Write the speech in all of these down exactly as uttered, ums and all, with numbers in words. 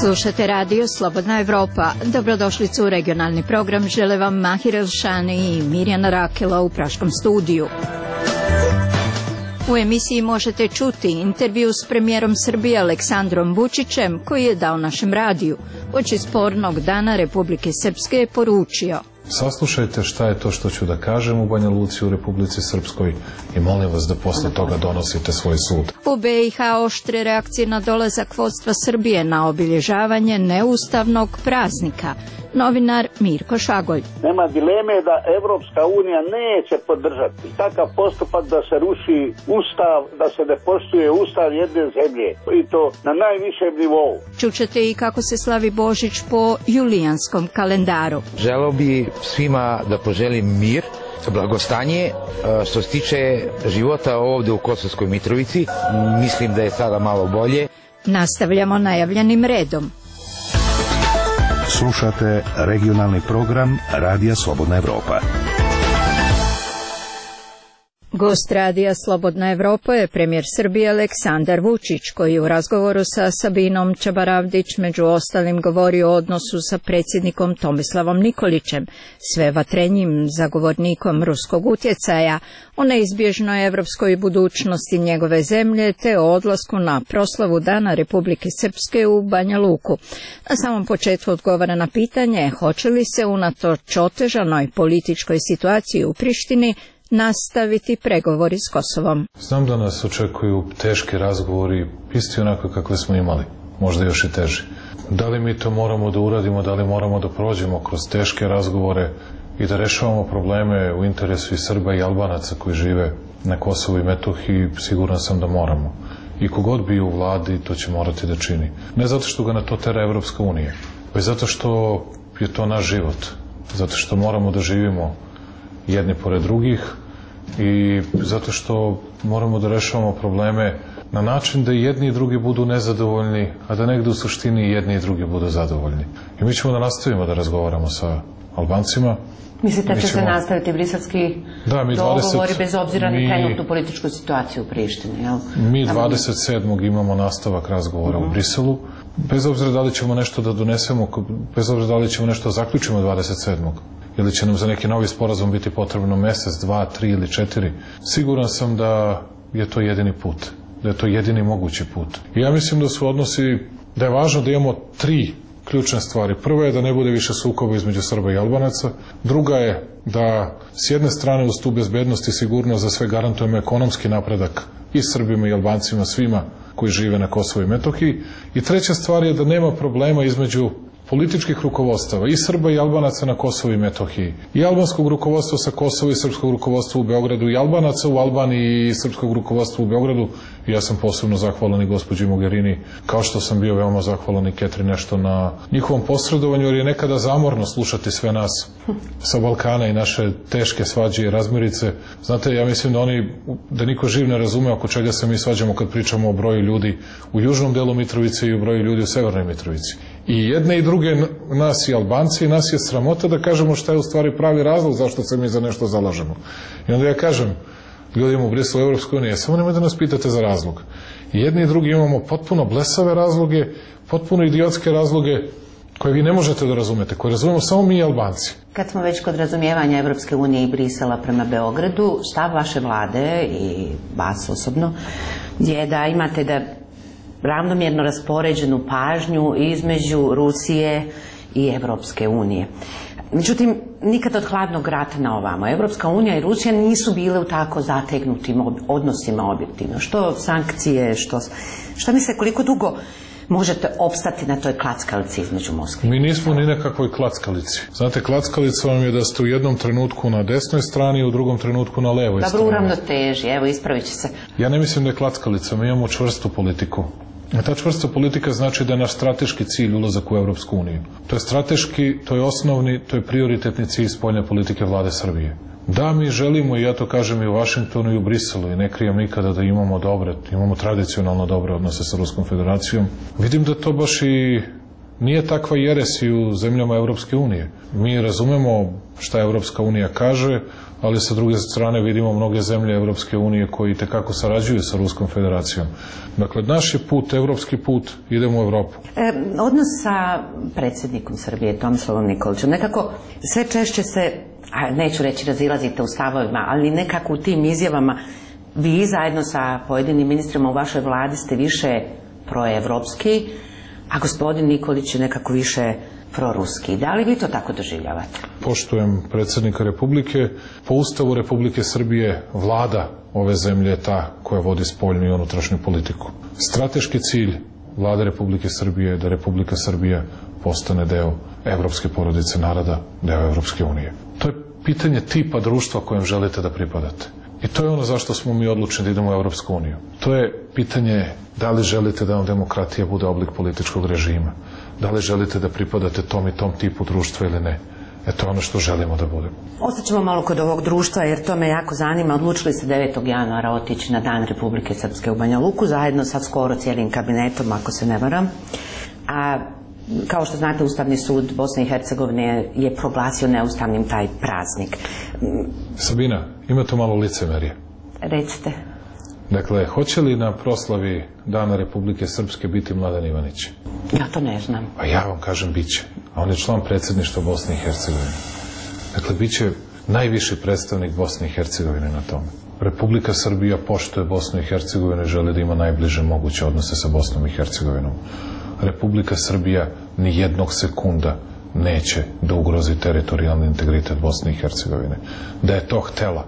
Slušate radio Slobodna Evropa. Dobrodošlicu u regionalni program. Žele vam Mahir Elšani i Mirjana Rakela u Praškom studiju. U emisiji možete čuti intervju s premijerom Srbije Aleksandrom Vučićem koji je dao našem radiju. Uoči spornog dana Republike Srpske je poručio: Saslušajte šta je to što ću da kažem u Banja Luci u Republici Srpskoj i molim vas da posle toga donosite svoj sud. U be i ha oštre reakcije na dolazak vodstva Srbije na obilježavanje neustavnog praznika. Novinar Mirko Šagolj. Nema dileme da Evropska unija neće podržati takav postupak da se ruši ustav, da se ne poštuje ustav jedne zemlje i to na najvišem nivou. Čućete i kako se slavi Božić po julijanskom kalendaru. Želeo bi svima da poželim mir, blagostanje. Što se tiče života ovde u Kosovskoj Mitrovici, mislim da je sada malo bolje. Nastavljamo najavljenim redom. Slušate regionalni program Radija Slobodna Evropa. Gost Radija Slobodna Evropa je premijer Srbije Aleksandar Vučić, koji u razgovoru sa Sabinom Čabaravdić među ostalim govori o odnosu sa predsjednikom Tomislavom Nikolićem, sve vatrenjim zagovornikom ruskog utjecaja, o neizbježnoj evropskoj budućnosti njegove zemlje te o odlasku na proslavu Dana Republike Srpske u Banja Luku. Na samom početku odgovara na pitanje hoće li se unatoč otežanoj političkoj situaciji u Prištini nastaviti pregovori s Kosovom. Znam da nas očekuju teški razgovori, isti onako kakve smo imali, možda još i teži. Da li mi to moramo da uradimo, da li moramo da prođemo kroz teške razgovore i da rešavamo probleme u interesu i Srba i Albanaca koji žive na Kosovu i Metohiji, siguran sam da moramo. I kogod bi u vladi, to će morati da čini. Ne zato što ga na to tera Evropska unija, već zato što je to naš život, zato što moramo da živimo jedni pored drugih i zato što moramo da rešavamo probleme na način da jedni i drugi budu nezadovoljni, a da negde u suštini jedni i drugi budu zadovoljni. I mi ćemo da nastavimo da razgovaramo sa Albancima. Mislite da će ćemo... se nastaviti briselski da, dogovori bez obzira mi... na trenutnu političku situaciju u Prištini? Jel? Mi dvadeset sedmog imamo nastavak razgovora uh -huh. u Briselu. Bez obzira da li ćemo nešto da donesemo, bez obzira da li ćemo nešto zaključimo dvadeset sedmog ili će nam za neki novi sporazum biti potrebno mesec, dva, tri ili četiri. Siguran sam da je to jedini put, da je to jedini mogući put. I ja mislim da su odnosi, da je važno da imamo tri ključne stvari. Prva je da ne bude više sukoba između Srba i Albanaca. Druga je da s jedne strane uz tu bezbednost i sigurnost za sve garantujemo ekonomski napredak i Srbima i Albancima, svima koji žive na Kosovu i Metohiji. I treća stvar je da nema problema između političkih rukovodstava i Srba i Albanaca na Kosovu i Metohiji, i albanskog rukovodstva sa Kosova i srpskog rukovodstva u Beogradu, i Albanaca u Albaniji i srpskog rukovodstva u Beogradu. I ja sam posebno zahvalan i gospođi Mogherini, kao što sam bio veoma zahvalan i Catherine Ashton na njihovom posredovanju, jer je nekada zamorno slušati sve nas sa Balkana i naše teške svađe i razmirice. Znate, ja mislim da oni, da niko živ ne razume oko čega se mi svađamo kad pričamo o broju ljudi u južnom delu Mitrovice i o broju ljudi u severnoj Mitrovici. I jedne i druge, nas i Albanci, i nas je sramota da kažemo šta je u stvari pravi razlog zašto se mi za nešto zalažemo. I onda ja kažem ljudima u Briselu Evropskoj unije, samo nemoj da nas pitate za razlog. I jedni i drugi imamo potpuno blesave razloge, potpuno idiotske razloge koje vi ne možete da razumete, koje razumemo samo mi i Albanci. Kad smo već kod razumijevanja Evropske unije i Brisela prema Beogradu, stav vaše vlade i vas osobno je da imate da ravnomjerno raspoređenu pažnju između Rusije i Evropske unije. Međutim, nikad od hladnog rata na ovamo. Evropska unija i Rusija nisu bile u tako zategnutim odnosima objektivno. Što sankcije, što... Šta misle, koliko dugo možete opstati na toj klackalici između Moskve? Mi nismo ni nekakvoj klackalici. Znate, klackalica vam je da ste u jednom trenutku na desnoj strani, u drugom trenutku na levoj strani. Dobro, uravno teži, evo, ispravit će se. Ja ne mislim da je klackalica, mi imamo čvrstu politiku. A ta čvrsta politika znači da je naš strateški cilj ulazak u Evropsku uniju. To je strateški, to je osnovni, to je prioritetni cilj spoljne politike vlade Srbije. Da, mi želimo, i ja to kažem i u Vašingtonu i u Briselu, i ne krijem nikada da imamo dobre, imamo tradicionalno dobre odnose sa Ruskom federacijom. Vidim da to baš i Nije takva jeres i u zemljama Evropske unije. Mi razumemo šta Evropska unija kaže, ali sa druge strane vidimo mnoge zemlje Evropske unije koji tekako sarađuju sa Ruskom federacijom. Dakle, naš je put, evropski put, idemo u Evropu. E, odnos sa predsjednikom Srbije, Tomislavom Nikolićem, nekako sve češće se, a neću reći razilazite u stavovima, ali nekako u tim izjavama vi zajedno sa pojedinim ministrima u vašoj vladi ste više proevropski, a gospodin Nikolić je nekako više proruski. Da li vi to tako doživljavate? Poštujem predsjednika Republike. Po Ustavu Republike Srbije vlada ove zemlje je ta koja vodi spoljnu i unutrašnju politiku. Strateški cilj vlade Republike Srbije je da Republika Srbija postane deo evropske porodice naroda, deo Evropske unije. To je pitanje tipa društva kojem želite da pripadate. I to je ono zašto smo mi odlučeni da idemo u Evropsku uniju. To je pitanje da li želite da vam demokratija bude oblik političkog režima. Da li želite da pripadate tom i tom tipu društva ili ne. E to je ono što želimo da budemo. Ostaćemo malo kod ovog društva jer to me jako zanima. Odlučili ste devetog januara otići na Dan Republike Srpske u Banja Luku zajedno sa skoro cijelim kabinetom, ako se ne varam. A kao što znate, Ustavni sud Bosne i Hercegovine je proglasio neustavnim taj praznik. Sabina, ima to malo licemerje. Recite. Dakle, hoće li na proslavi Dana Republike Srpske biti Mladen Ivanić? Ja to ne znam. Pa ja vam kažem, bit će. A on je član predsjedništva Bosne i Hercegovine. Dakle, bit će najviši predstavnik Bosne i Hercegovine na tome. Republika Srbija poštuje Bosnu i Hercegovinu i želi da ima najbliže moguće odnose sa Bosnom i Hercegovinom. Republika Srbija ni jednog sekunda neće da ugrozi teritorijalni integritet Bosne i Hercegovine. Da je to htela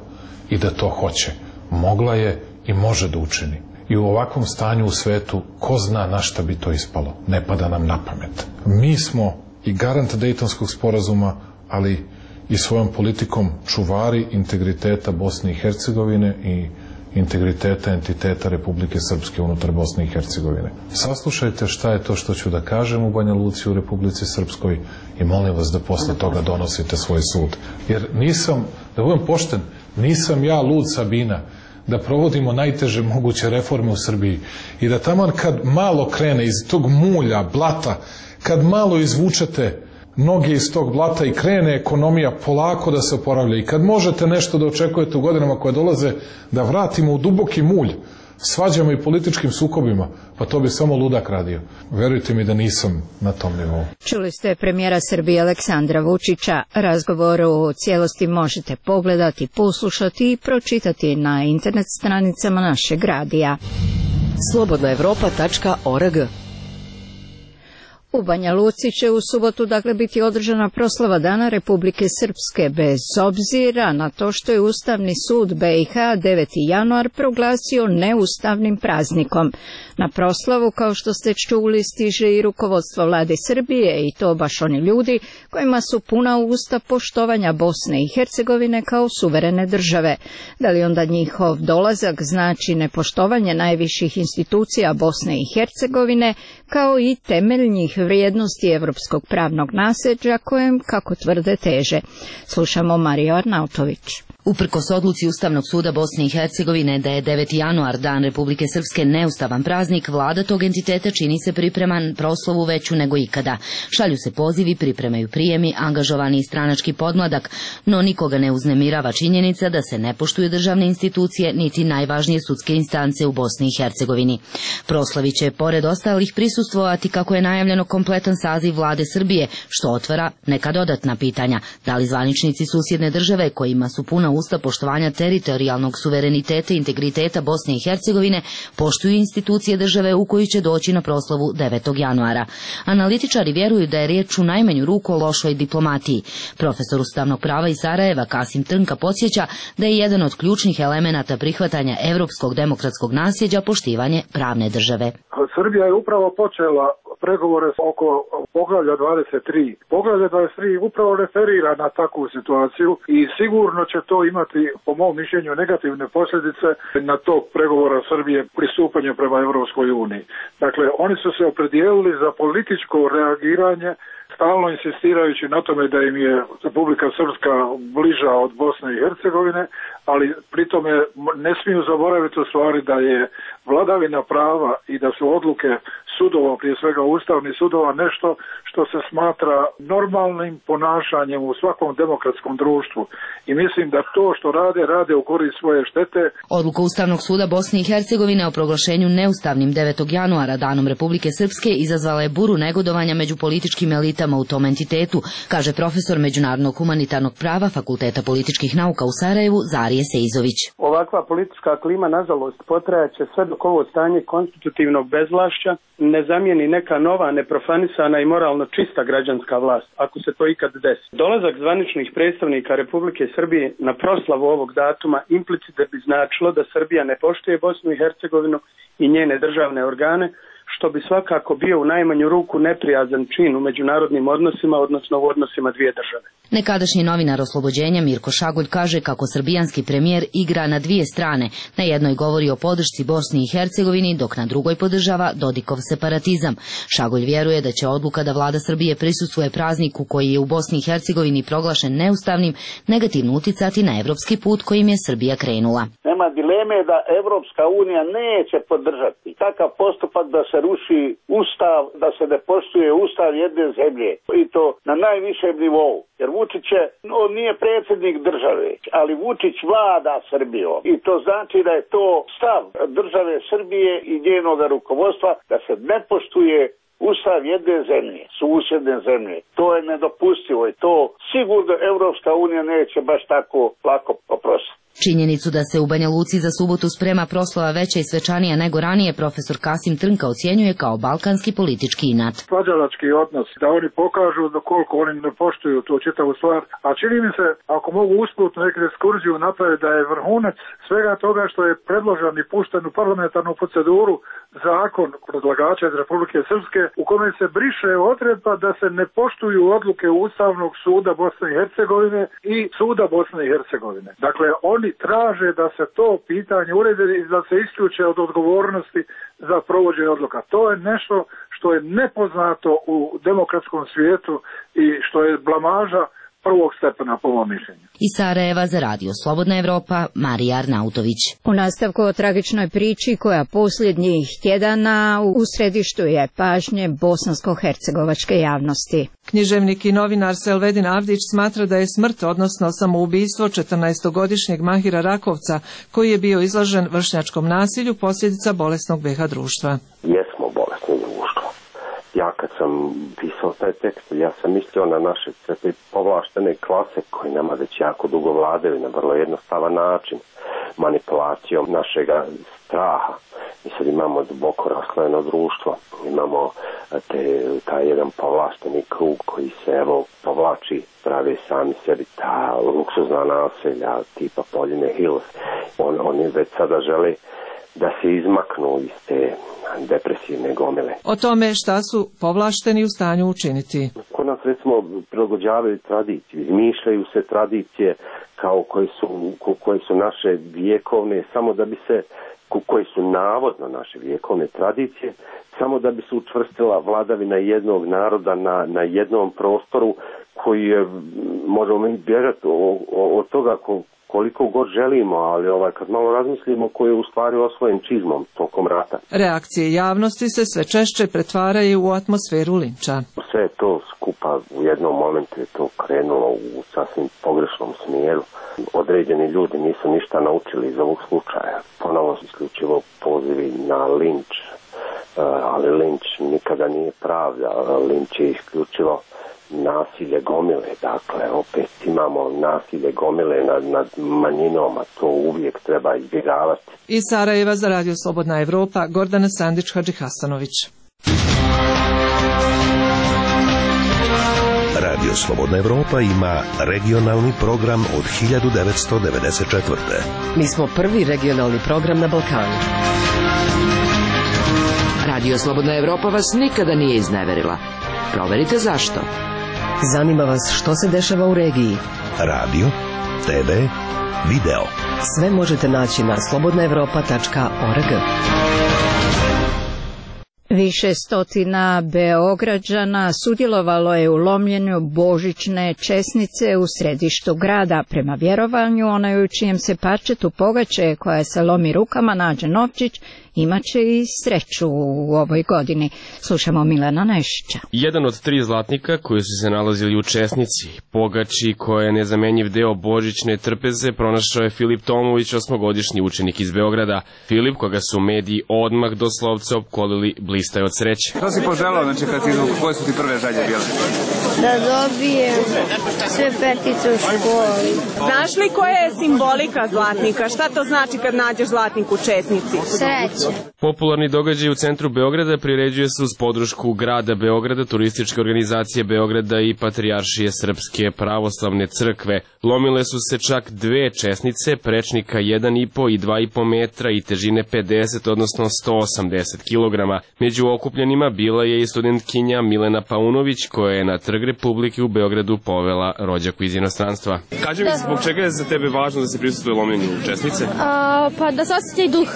i da to hoće, mogla je i može da učini. I u ovakvom stanju u svetu, ko zna na šta bi to ispalo, ne pada nam na pamet. Mi smo i garant Dejtonskog sporazuma, ali i svojom politikom čuvari integriteta Bosne i Hercegovine i integriteta entiteta Republike Srpske unutar Bosne i Hercegovine. Saslušajte šta je to što ću da kažem u Banja Luci u Republici Srpskoj i molim vas da posle toga donosite svoj sud. Jer nisam, da budem pošten, nisam ja lud, Sabina, da provodimo najteže moguće reforme u Srbiji i da taman kad malo krene iz tog mulja, blata, kad malo izvučete noge iz tog blata i krene ekonomija polako da se oporavlja i kad možete nešto da očekujete u godinama koje dolaze da vratimo u duboki mulj svađama i političkim sukobima, pa to bi samo ludak radio. Verujte mi da nisam na tom nivou. Čuli ste premijera Srbije Aleksandra Vučića. Razgovor u cijelosti možete pogledati, poslušati i pročitati na internet stranicama našeg radija. slobodna evropa tačka org. U Banja Luci će u subotu dakle biti održana proslava Dana Republike Srpske, bez obzira na to što je Ustavni sud be i ha deveti januar proglasio neustavnim praznikom. Na proslavu, kao što ste čuli, stiže i rukovodstvo vlade Srbije, i to baš oni ljudi kojima su puna usta poštovanja Bosne i Hercegovine kao suverene države. Da li onda njihov dolazak znači nepoštovanje najviših institucija Bosne i Hercegovine, kao i temeljnih vrijednosti evropskog pravnog nasljeđa kojem, kako tvrde, teže? Slušamo Mariju Arnautović. Uprkos odluci Ustavnog suda Bosne i Hercegovine da je deveti januar, Dan Republike Srpske, neustavan praznik, vlada tog entiteta čini se pripreman proslavu veću nego ikada. Šalju se pozivi, pripremaju prijemi, angažovani i stranački podmladak, no nikoga ne uznemirava činjenica da se ne poštuju državne institucije niti najvažnije sudske instance u Bosni i Hercegovini. Proslavi će, pored ostalih, prisustvovati, kako je najavljeno, kompletan saziv vlade Srbije, što otvara neka dodatna pitanja. Da li zvaničnici susjedne države, kojima su puna usta poštovanja teritorijalnog suvereniteta i integriteta Bosne i Hercegovine, poštuju institucije države u koju će doći na proslavu devetog januara. Analitičari vjeruju da je riječ u najmanju ruku o lošoj diplomatiji. Profesor ustavnog prava iz Sarajeva Kasim Trnka podsjeća da je jedan od ključnih elemenata prihvatanja evropskog demokratskog nasljeđa poštivanje pravne države. Srbija je upravo počela pregovore oko poglavlja dvadeset tri. Poglavlje dvadeset tri upravo referira na takvu situaciju i sigurno će to imati, po mom mišljenju, negativne posljedice na tog pregovora Srbije pristupanje prema Evropskoj uniji. Dakle, oni su se opredijelili za političko reagiranje stalno insistirajući na tome da im je Republika Srpska bliža od Bosne i Hercegovine, ali pritome ne smiju zaboraviti u stvari da je vladavina prava i da su odluke sudova, prije svega ustavnih sudova, nešto što se smatra normalnim ponašanjem u svakom demokratskom društvu. I mislim da to što rade, rade u korist svoje štete. Odluka Ustavnog suda Bosne i Hercegovine o proglašenju neustavnim devetog januara danom Republike Srpske izazvala je buru negodovanja među političkim elitama u tom entitetu, kaže profesor međunarodnog humanitarnog prava Fakulteta političkih nauka u Sarajevu Zarije Seizović. Ovakva politička klima, nažalost, potrajaće sve dok ovo stanje konstitutivnog bezvlašća ne zamijeni neka nova, neprofanisana i moralno čista građanska vlast, ako se to ikad desi. Dolazak zvaničnih predstavnika Republike Srbije na proslavu ovog datuma implicite bi značilo da Srbija ne poštuje Bosnu i Hercegovinu i njene državne organe, što bi svakako bio u najmanju ruku neprijazan čin u međunarodnim odnosima, odnosno u odnosima dvije države. Nekadašnji novinar Oslobođenja Mirko Šagulj kaže kako srbijanski premijer igra na dvije strane. Na jednoj govori o podršci Bosni i Hercegovini, dok na drugoj podržava Dodikov separatizam. Šagulj vjeruje da će odluka da vlada Srbije prisustvuje prazniku koji je u Bosni i Hercegovini proglašen neustavnim negativno uticati na evropski put kojim je Srbija krenula. Nema dileme da Evropska unija neće podržati takav postupak da se ruši ustav, da se ne poštuje ustav jedne zemlje i to na najvišem nivou. Jer Vučić je, on nije predsjednik države, ali Vučić vlada Srbijom i to znači da je to stav države Srbije i njenog rukovodstva da se ne poštuje ustav jedne zemlje, susjedne zemlje. To je nedopustivo i to sigurno Evropska unija neće baš tako lako oprostiti. Činjenicu da se u Banja Luci za subotu sprema proslava veća i svečanija nego ranije, profesor Kasim Trnka ocjenjuje kao balkanski politički inat. Svađalački odnos, da oni pokažu da koliko oni ne poštuju tu čitavu stvar, a čini mi se, ako mogu usput neku ekskurziju napraviti, da je vrhunac svega toga što je predložen i pušten u parlamentarnu proceduru zakon predlagača iz Republike Srpske u kome se briše odredba da se ne poštuju odluke Ustavnog suda Bosne i Hercegovine i suda Bosne i Hercegovine. Dakle, oni traže da se to pitanje urede i da se isključe od odgovornosti za provođenje odluka. To je nešto što je nepoznato u demokratskom svijetu i što je blamaža prvog stepena po mom mišljenju. Iz Sarajeva za radio Slobodna Evropa, Marija Arnautović. U nastavku o tragičnoj priči koja posljednjih tjedana u središtu je pažnje bosansko-hercegovačke javnosti. Književnik i novinar Selvedin Avdić smatra da je smrt, odnosno samoubistvo četrnaestogodišnjeg Mahira Rakovca, koji je bio izložen vršnjačkom nasilju, posljedica bolesnog B iH društva. Jesmo bolesno društvo. Ja kad sam pisao taj tekst, ja sam mislio na naše sve te povlaštene klase koji nama već jako dugo vladaju na vrlo jednostavan način, manipulacijom našega straha. Mi sad imamo duboko raslojeno društvo, imamo te, taj jedan povlašteni krug koji se evo povlači, pravi sami sebi ta luksuzna naselja tipa Poljine Hills. On, oni već sada žele da se izmaknu iz te depresivne gomile. O tome šta su povlašteni u stanju učiniti. Kod nas recimo prilagođavaju tradiciju, izmišljaju se tradicije kao koje su, koje su naše vjekovne, samo da bi se, koje su navodno naše vjekovne tradicije, samo da bi se učvrstila vladavina jednog naroda na, na jednom prostoru koji je, možemo mi bježati od toga ko, koliko god želimo, ali ovaj, kad malo razmislimo koji je u stvari osvojen čizmom tokom rata. Reakcije javnosti se sve češće pretvaraju u atmosferu linča. Sve to skupa u jednom momentu je to krenulo u sasvim pogrešnom smjeru. Određeni ljudi nisu ništa naučili iz ovog slučaja. Ponovo su isključivo pozivi na linč, ali linč nikada nije pravda. Linč je isključivo nasilje gomile, dakle opet imamo nasilje gomile nad, nad manjinom, a to uvijek treba izbjegavati. Iz Sarajeva za radio Slobodna Evropa, Gordana Sandić Hadžihasanović. Radio Slobodna Evropa ima regionalni program od hiljadu devetsto devedeset četvrte. Mi smo prvi regionalni program na Balkanu. Radio Slobodna Evropa vas nikada nije izneverila. Proverite zašto. Zanima vas što se dešava u regiji. Radio, te ve, video. Sve možete naći na slobodna evropa tačka org. Više stotina Beograđana sudjelovalo je u lomljenju božićne česnice u središtu grada. Prema vjerovanju, onaj u čijem se parčetu pogače koja se lomi rukama nađe novčić, imaće i sreću u ovoj godini. Slušamo Milana Nešića. Jedan od tri zlatnika koji su se nalazili u česnici, pogači koja je nezamenjiv deo božićne trpeze, pronašao je Filip Tomović, osmogodišnji učenik iz Beograda. Filip, koga su mediji odmah doslovce opkolili, blistaje od sreće. Što si poželao, znači kad si, koje su ti prve želje bile? Da dobijem sve petice u školi. Znaš li koja je simbolika zlatnika? Šta to znači kad nađeš zlatnik u česnici? Sreće. Popularni događaj u centru Beograda priređuje se uz podršku grada Beograda, turističke organizacije Beograda i Patrijaršije Srpske pravoslavne crkve. Lomile su se čak dve česnice, prečnika jedan i po i dva i po metra i težine pedeset, odnosno sto osamdeset kilograma. Među okupljenima bila je i studentkinja Milena Paunović, koja je na Trg Republike u Beogradu povela rođaku iz inostranstva. Kaži mi, zbog čega je za tebe važno da se prisustvuje lomljenju česnice? A, pa da se osjeća i duh,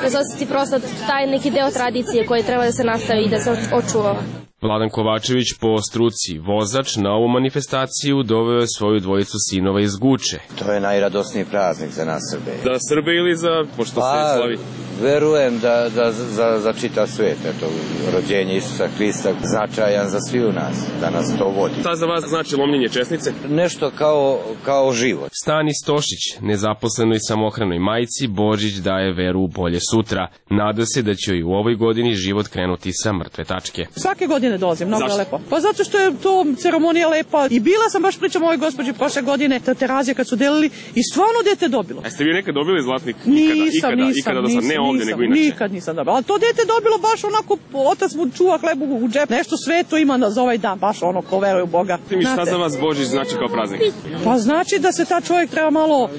da se osjeti prosto taj neki deo tradicije koji treba da se nastavi i da se očuva. Vladan Kovačević, po struci vozač, na ovu manifestaciju doveo je svoju dvojicu sinova iz Guče. To je najradosniji praznik za nas Srbe. Da Srbe ili za, pošto pa, se slavi? Verujem da, da za, za čitav svijet. Eto, rođenje Isusa Hrista značajan za svi u nas, da nas to vodi. Šta za vas znači lomljenje česnice? Nešto kao, kao život. Stani Stošić, nezaposlenoj samohranoj majci, Božić daje veru u bolje sutra. Nada se da će i u ovoj godini život krenuti sa mrtve tačke. Svake godine dolazim, mnogo je lepo. Pa zato što je to ceremonija lepa. I bila sam, baš pričam ovoj gospođi prošle godine, ta Terazija kad su delili i stvarno dete dobilo. A ste vi nekad dobili zlatnik? Nisam, ikada, nisam, ikada do sad, nisam, ne ovdje, nisam, nego inače. Nikad nisam dobila. Ali to dete dobilo baš onako, otac mu čuva hlebu u džep. Nešto sveto ima za ovaj dan, baš ono ko veruje u Boga. I šta za vas Božić znači kao praznik? Pa znači da se ta čovjek treba malo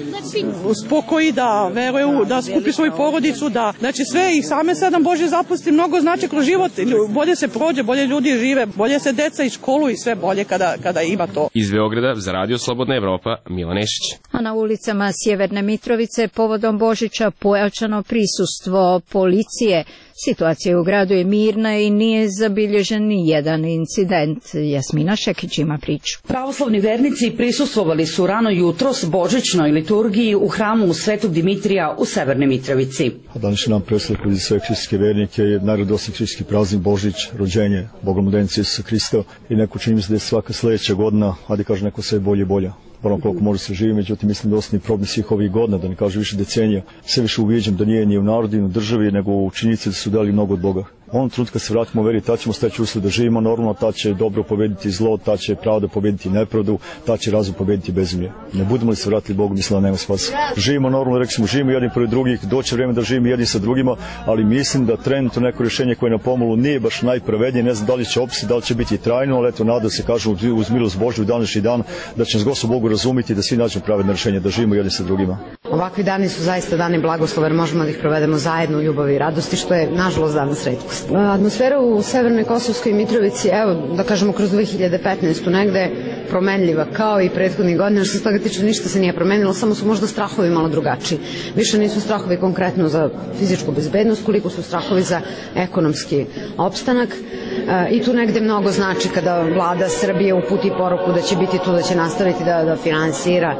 spokoji, da veruje, u, da skupi svoju porodicu, da znači sve i same sedam Božje zapusti mnogo znači kroz život. Bolje se prođe, bolje ljudi žive, bolje se deca i školu i sve bolje kada, kada ima to. Iz Beograda za Radio Slobodna Evropa, Milan Nešić. A na ulicama Sjeverne Mitrovice povodom Božića pojačano prisustvo policije. Situacija u gradu je mirna i nije zabilježen ni jedan incident. Jasmina Šekić ima priču. Pravoslavni vernici prisustvovali su rano jutros božićnoj liturgiji u hramu Svetog Dimitrija u Severnoj Mitrovici. Današnji dan predstavlja za sve hrišćanske vernike je najradosniji hrišćanski praznik Božić, rođenje Bogomoldenica Isusa Hrista i neko čini mi se da je svaka sledeća godina, a da kaže neko sve bolje i bolje. Ono koliko može se živi, međutim mislim da osnovni problem svih ovih godina, da ne kaže više decenija, sve više uviđam da nije ni u narodu, ni u državi, nego u činjenici da su dali mnogo od Boga. U ovom trenutku kad se vratimo u veri, ta ćemo steći uslov da živimo normalno, ta će dobro pobediti zlo, ta će pravda pobediti nepravdu, ta će razum pobediti bezumlje. Ne budemo li se vratili Bogu, mislim da nema spasa. Živimo normalno, rekli smo, živimo jedni pored drugih, doće vreme da živimo jedni sa drugima, ali mislim da trenutno neko rješenje koje je na pomolu nije baš najpravednije, ne znam da li će opstati, da li će biti trajno, ali eto nada se kaže uz milost Božju u današnji dan da će nas Gospod Bogu razumiti da svi nađemo pravedno rješenje, da živimo jedni sa drugima. Ovakvi dani su zaista dani blagoslova, jer možemo da ih provedemo zajedno u ljubavi i radosti, što je nažalost danas retkost. Atmosfera u Severnoj Kosovskoj Mitrovici, evo da kažemo kroz dve hiljade petnaestu negde promenljiva kao i prethodnih godina, što se toga tiče ništa se nije promenilo, samo su možda strahovi malo drugačiji. Više nisu strahovi konkretno za fizičku bezbednost, koliko su strahovi za ekonomski opstanak. E, I tu negde mnogo znači kada vlada Srbije uputi poruku da će biti tu, da će nastaviti da, da finansira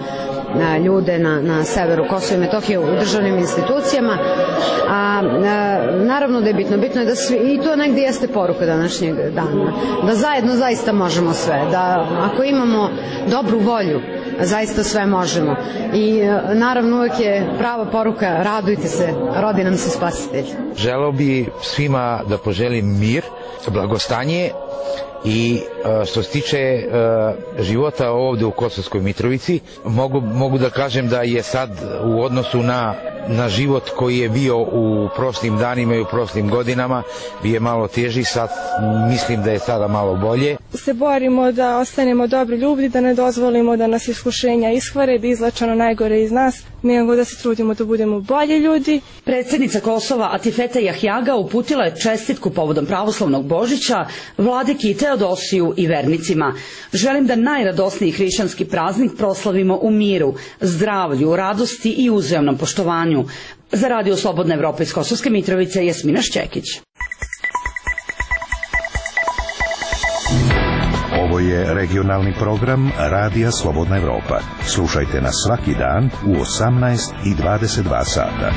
a, ljude na, na severu Kosova i Metohije u državnim institucijama. A, a, naravno da je bitno, bitno je da svi, i to negde jeste poruka današnjeg dana, da zajedno zaista možemo sve, da ako imamo dobru volju, zaista sve možemo. I naravno uvek je prava poruka, radujte se, rodi nam se spasitelj. Želeo bi svima da poželim mir, blagostanje i što se tiče života ovde u Kosovskoj Mitrovici, mogu, mogu da kažem da je sad u odnosu na, na život koji je bio u prošlim danima i u prošlim godinama bio malo teži, sad mislim da je sada malo bolje. Se borimo da ostanemo dobri ljudi, da ne dozvolimo da nas iskušenja ishvare, da izlačano najgore iz nas, nego da se trudimo da budemo bolji ljudi. Predsjednica Kosova Atifete Jahjaga uputila je čestitku povodom pravoslavnog Božića vladiki Teodosiju i vernicima. Želim da najradosniji hrišćanski praznik proslavimo u miru, zdravlju, radosti i uzajamnom poštovanju. Za Radio Slobodna Evropa iz Kosovske Mitrovice, Jasmina Šćekić. je regionalni program Radija Slobodna Evropa. Slušajte nas svaki dan u osamnaest i dvadeset dva sata.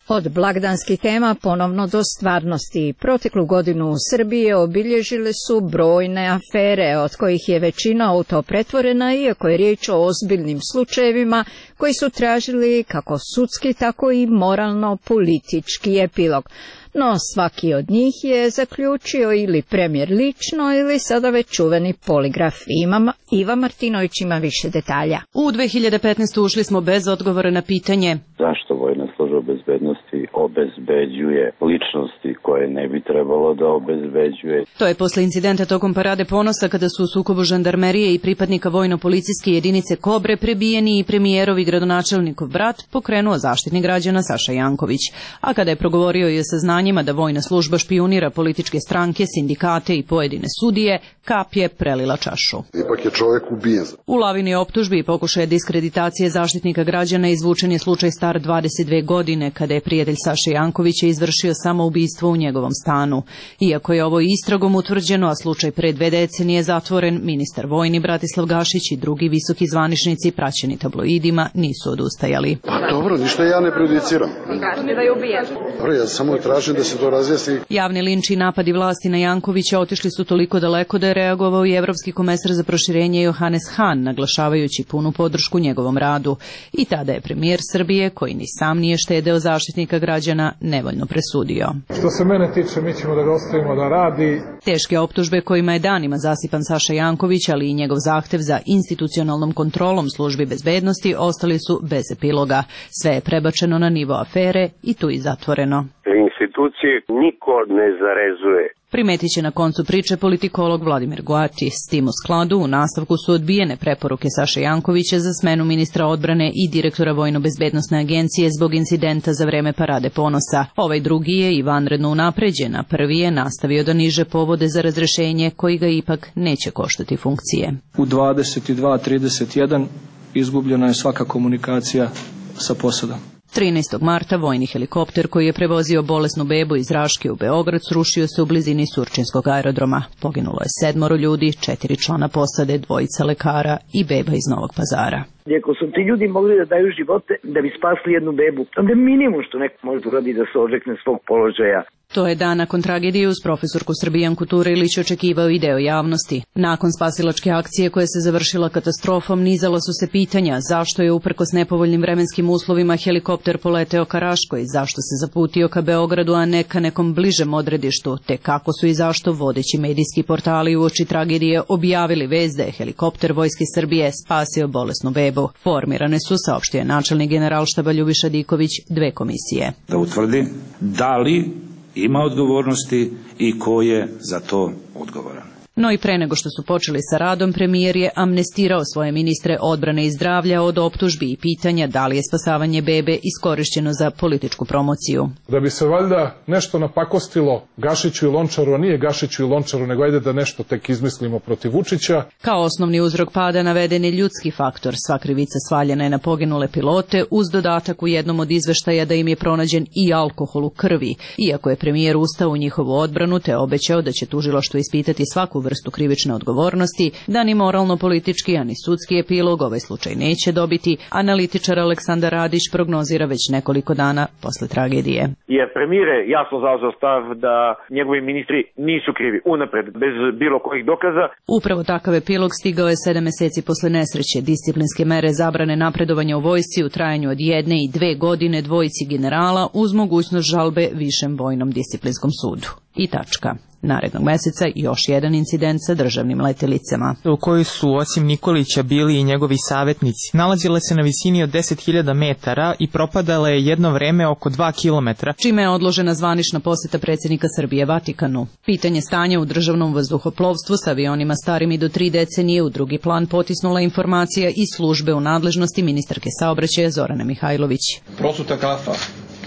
Od blagdanskih tema ponovno do stvarnosti. Proteklu godinu u Srbiji obilježile su brojne afere, od kojih je većina u to pretvorena, iako je riječ o ozbiljnim slučajevima koji su tražili kako sudski, tako i moralno-politički epilog. No svaki od njih je zaključio ili premijer lično ili sada već čuveni poligraf. Ima, Iva Martinović ima više detalja. U dve hiljade petnaeste. ušli smo bez odgovora na pitanje zašto vojna služba bezbednosti obezbeđuje ličnosti koje ne bi trebalo da obezbeđuje. To je posle incidenta tokom Parade ponosa kada su u sukobu žandarmerije i pripadnika vojno-policijske jedinice Kobre prebijeni i premijerov i gradonačelnikov brat pokrenuo Zaštitnik građana Saša Janković. A kada je progovorio i o saznanjima da vojna služba špijunira političke stranke, sindikate i pojedine sudije, kap je prelila čašu. Ipak je čovjek ubijen. U lavini optužbi i pokušaja diskreditacije Zaštitnika građana izvučen je slučaj star dvadeset dve godine kada je prijatelj Saše Jankovića izvršio samoubistvo u njegovom stanu. Iako je ovo istragom utvrđeno, a slučaj pre dve decenije zatvoren, ministar vojni Bratislav Gašić i drugi visoki zvaničnici praćeni tabloidima nisu odustajali. Pa dobro, ništa ja ne prejudiciram. Kažete da je ubijen. Dobro, ja samo tražim da se to razjasni. Javni linč i napadi vlasti na Jankovića otišli su toliko daleko da je reagovao i evropski komesar za proširenje Johannes Hahn, naglašavajući punu podršku njegovom radu. I tada je premijer Srbije, koji ni sam nije štedeo Zaštitnika građana, nevoljno presudio. Što se mene tiče, mi ćemo da ga ostavimo da radi. Teške optužbe kojima je danima zasipan Saša Janković, ali i njegov zahtev za institucionalnom kontrolom službi bezbednosti ostali su bez epiloga. Sve je prebačeno na nivo afere i tu i zatvoreno. Institucije niko ne zarezuje. Primetit će na koncu priče politikolog Vladimir Goati. S tim u skladu u nastavku su odbijene preporuke Saše Jankovića za smenu ministra odbrane i direktora Vojno-bezbednosne agencije zbog incidenta za vreme Parade ponosa. Ovaj drugi je i vanredno unapređen, a prvi je nastavio da niže povode za razrešenje koji ga ipak neće koštati funkcije. U dvadeset dva trideset jedan izgubljena je svaka komunikacija sa posadom. trinaestog marta vojni helikopter koji je prevozio bolesnu bebu iz Raške u Beograd srušio se u blizini Surčinskog aerodroma. Poginulo je sedmoro ljudi, četiri člana posade, dvojica lekara i beba iz Novog Pazara. Ako su ti ljudi mogli da daju živote da bi spasli jednu bebu, onda je minimum što neko može uradi da se odrekne svog položaja. To je dan nakon tragedije uz profesorku Srbijanku Turilić očekivao i deo javnosti. Nakon spasilačke akcije koja se završila katastrofom, nizala su se pitanja zašto je uprkos nepovoljnim vremenskim uslovima helikopter poleteo ka Raškoj, zašto se zaputio ka Beogradu, a ne ka nekom bližem odredištu, te kako su i zašto vodeći medijski portali uoči tragedije objavili vest da je helikopter Vojske Srbije spasio bolesnu bebu. Formirane su, saopštio je načelnik generalštaba Ljubiša Diković, dve komisije. Da utvrdi da li ima odgovornosti i ko je za to odgovoran. No i pre nego što su počeli sa radom, premijer je amnestirao svoje ministre odbrane i zdravlja od optužbi i pitanja da li je spasavanje bebe iskorišćeno za političku promociju. Da bi se valjda nešto napakostilo Gašiću i Lončaru, a nije Gašiću i Lončaru, nego ajde da nešto tek izmislimo protiv Vučića. Kao osnovni uzrok pada naveden je ljudski faktor. Sva krivica svaljena je na poginule pilote, uz dodatak u jednom od izveštaja da im je pronađen i alkohol u krvi. Iako je premijer ustao u njihovu odbranu te obećao da će tužilaštvo ispitati svaku vrstu krivične odgovornosti, da ni moralno-politički, a ni sudski epilog ovaj slučaj neće dobiti, analitičar Aleksandar Radić prognozira već nekoliko dana posle tragedije. Jer premijer je jasno zauzeo stav da njegovi ministri nisu krivi unapred, bez bilo kojih dokaza. Upravo takav epilog stigao je sedam meseci posle nesreće. Disciplinske mere zabrane napredovanja u vojsci u trajanju od jedne i dve godine dvojici generala uz mogućnost žalbe Višem vojnom disciplinskom sudu. I tačka. Narednog meseca još jedan incident sa državnim letelicama. U kojoj su osim Nikolića bili i njegovi savjetnici. Nalazile se na visini od deset hiljada metara i propadale je jedno vreme oko dva kilometra. Čime je odložena zvanična poseta predsjednika Srbije Vatikanu. Pitanje stanja u državnom vazduhoplovstvu sa avionima starim i do tri decenije u drugi plan potisnula informacija iz službe u nadležnosti ministarke saobraćaja Zorane Mihajlović. Prosuta kafa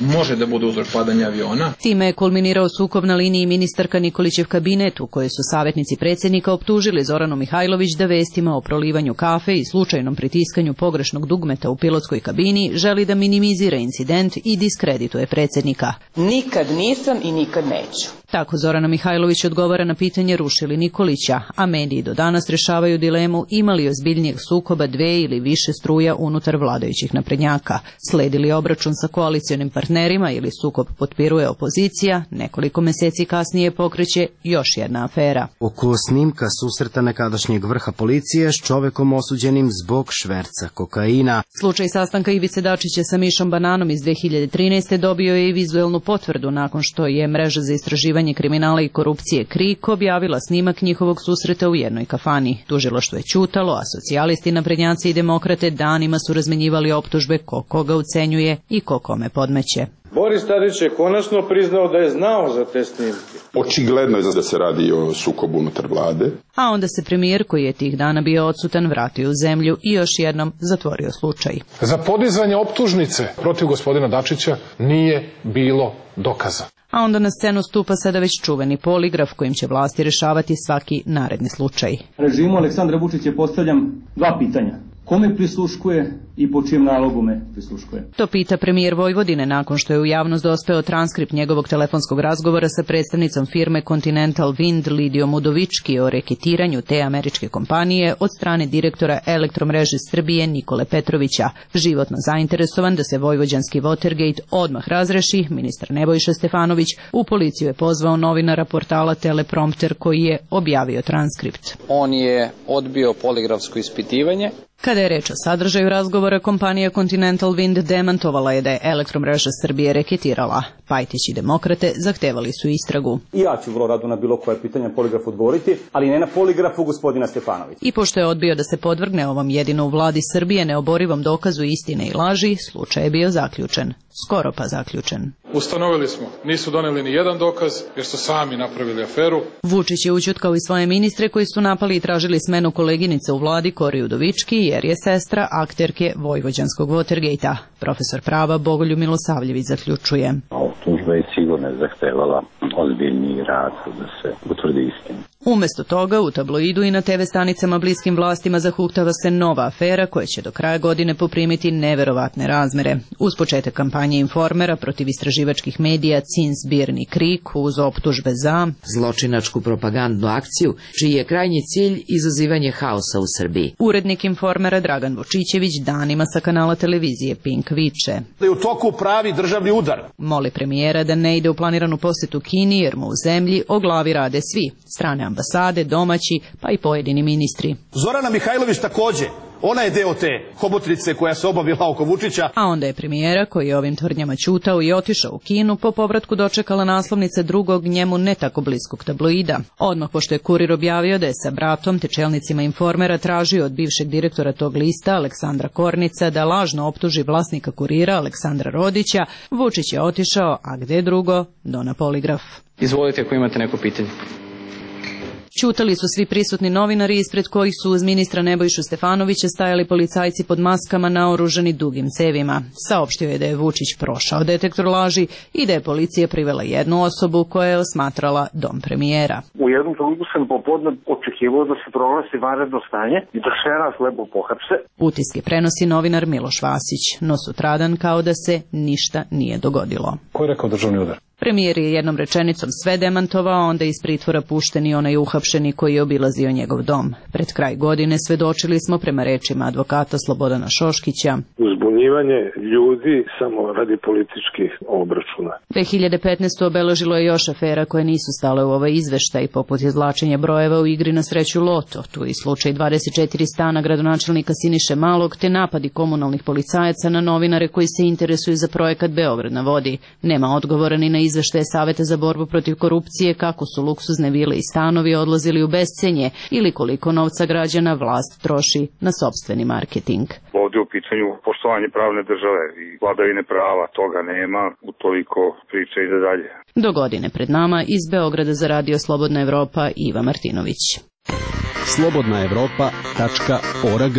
može da bude uzrok padanja aviona. Time je kulminirao sukob na liniji ministarka Nikolićev kabinet, u kojoj su savjetnici predsjednika optužili Zoranu Mihajlović da vestima o prolivanju kafe i slučajnom pritiskanju pogrešnog dugmeta u pilotskoj kabini želi da minimizira incident i diskredituje predsjednika. Nikad nisam i nikad neću. Tako Zorana Mihajlović odgovara na pitanje rušili Nikolića, a mediji do danas rešavaju dilemu imali ozbiljnijeg sukoba dve ili više struja unutar vladajućih naprednjaka. Sledi li obračun sa koalicionim partnerima ili sukob potpiruje opozicija, nekoliko meseci kasnije pokreće još jedna afera. Oko snimka susreta nekadašnjeg vrha policije s čovekom osuđenim zbog šverca kokaina. Slučaj sastanka Ivice Dačića sa Mišom Bananom iz dve hiljade trinaeste. dobio je i vizuelnu potvrdu nakon što je mreža za istraživanje kriminala i korupcije KRIK objavila snimak njihovog susreta u jednoj kafani. Tužilaštvo je ćutalo, a socijalisti, naprednjaci i demokrate danima su razmenjivali optužbe ko koga ucenjuje i ko kome podmeće. Boris Tadić je konačno priznao da je znao za te snimke. Očigledno je da se radi o sukobu unutar vlade. A onda se premijer, koji je tih dana bio odsutan, vratio u zemlju i još jednom zatvorio slučaj. Za podizanje optužnice protiv gospodina Dačića nije bilo dokaza. A onda na scenu stupa sada već čuveni poligraf kojim će vlasti rešavati svaki naredni slučaj. Režimu Aleksandra Vučića postavljam dva pitanja. Kome prisluškuje i po čijem nalogu me prisluškuje? To pita premijer Vojvodine nakon što je u javnost dospeo transkript njegovog telefonskog razgovora sa predstavnicom firme Continental Wind Lidijom Udovički o reketiranju te američke kompanije od strane direktora Elektromreže Srbije Nikole Petrovića. Životno zainteresovan da se vojvođanski Watergate odmah razreši, ministar Nebojša Stefanović u policiju je pozvao novinara portala Teleprompter koji je objavio transkript. On je odbio poligrafsko ispitivanje. Kada je reč o sadržaju razgovora, kompanija Continental Wind demantovala je da je Elektromreža Srbije reketirala. Pajtić i demokrate zahtevali su istragu. I ja ću vrlo rado na bilo koje pitanje poligraf odgovoriti, ali ne na poligrafu gospodina Stefanovića. I pošto je odbio da se podvrgne ovom jedino u vladi Srbije neoborivom dokazu istine i laži, slučaj je bio zaključen. Skoro pa zaključen. Ustanovili smo, nisu doneli ni jedan dokaz jer su sami napravili aferu. Vučić je ućutkao i svoje ministre koji su napali i tražili smenu koleginice u vladi Kori Udovički jer je sestra akterke vojvođanskog Watergate-a. Profesor prava Bogoljub Milosavljević zaključuje. Optužba je sigurno zahtevala ozbiljniji rad da se utvrdi istina. Umesto toga, u tabloidu i na te ve stanicama bliskim vlastima zahuktava se nova afera koja će do kraja godine poprimiti neverovatne razmere. Uz početak kampanje Informera protiv istraživačkih medija Cinsbirni Krik uz optužbe za zločinačku propagandnu akciju, čiji je krajnji cilj izazivanje haosa u Srbiji. Urednik Informera Dragan Vočićević danima sa kanala televizije Pink viče da je u toku pravi državni udar. Moli premijera da ne ide u planiranu posetu Kini jer mu u zemlji o glavi rade svi, strane ambasade, domaći, pa i pojedini ministri. Zorana Mihajlović takođe, ona je deo te hobotrice koja se obavila oko Vučića. A onda je premijera, koji je ovim tvrdnjama ćutao i otišao u Kinu, po povratku dočekala naslovnice drugog njemu ne tako bliskog tabloida. Odmah pošto je Kurir objavio da je sa bratom te čelnicima Informera tražio od bivšeg direktora tog lista, Aleksandra Kornica, da lažno optuži vlasnika Kurira, Aleksandra Rodića, Vučić je otišao, a gde drugo, do na poligraf. Izvolite ako imate neko pitanje. Ćutali su svi prisutni novinari ispred kojih su uz ministra Nebojšu Stefanovića stajali policajci pod maskama naoružani dugim cevima. Saopštio je da je Vučić prošao detektor laži i da je policija privela jednu osobu koja je osmatrala dom premijera. U jednom trenutku sam popodne očekivao da se proglasi vanredno stanje i da sve nas lepo pohapse. Utiske prenosi novinar Miloš Vasić, no sutradan kao da se ništa nije dogodilo. Ko je rekao državni udar? Premijer je jednom rečenicom sve demantovao, onda iz pritvora pušten i onaj uhapšeni koji je obilazio njegov dom. Pred kraj godine svedočili smo prema rečima advokata Slobodana Šoškića uzbunjivanje ljudi samo radi političkih obračuna. dve hiljade petnaeste. obeležilo je još afera koje nisu stale u ovaj izveštaj, poput izvlačenja brojeva u igri na sreću Loto, tu i slučaj dvadeset četiri stana gradonačelnika Siniše Malog, te napadi komunalnih policajaca na novinare koji se interesuju za projekat Beograd na vodi. Nema odgovora ni na izveštaje Saveta za borbu protiv korupcije kako su luksuzne vile i stanovi odlazili u bescenje ili koliko novca građana vlast troši na sopstveni marketing. Ovdje u pitanju poštovanje pravne države i vladavine prava, toga nema, utoliko priča ide dalje. Do godine pred nama iz Beograda za radio Slobodna Evropa Iva Martinović. slobodna evropa tačka org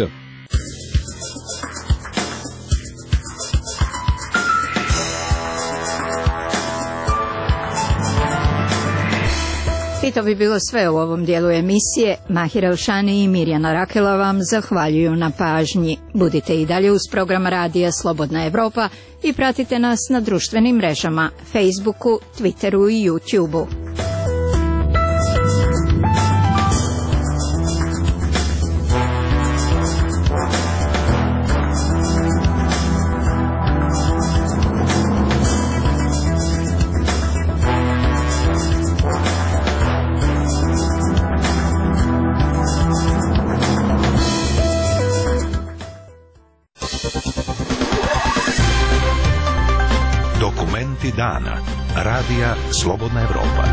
I to bi bilo sve u ovom dijelu emisije. Mahira Elšani i Mirjana Rakela vam zahvaljuju na pažnji. Budite i dalje uz program Radija Slobodna Evropa i pratite nas na društvenim mrežama, Facebooku, Twitteru i YouTubeu. Dokumenti dana. Radija Slobodna Evropa.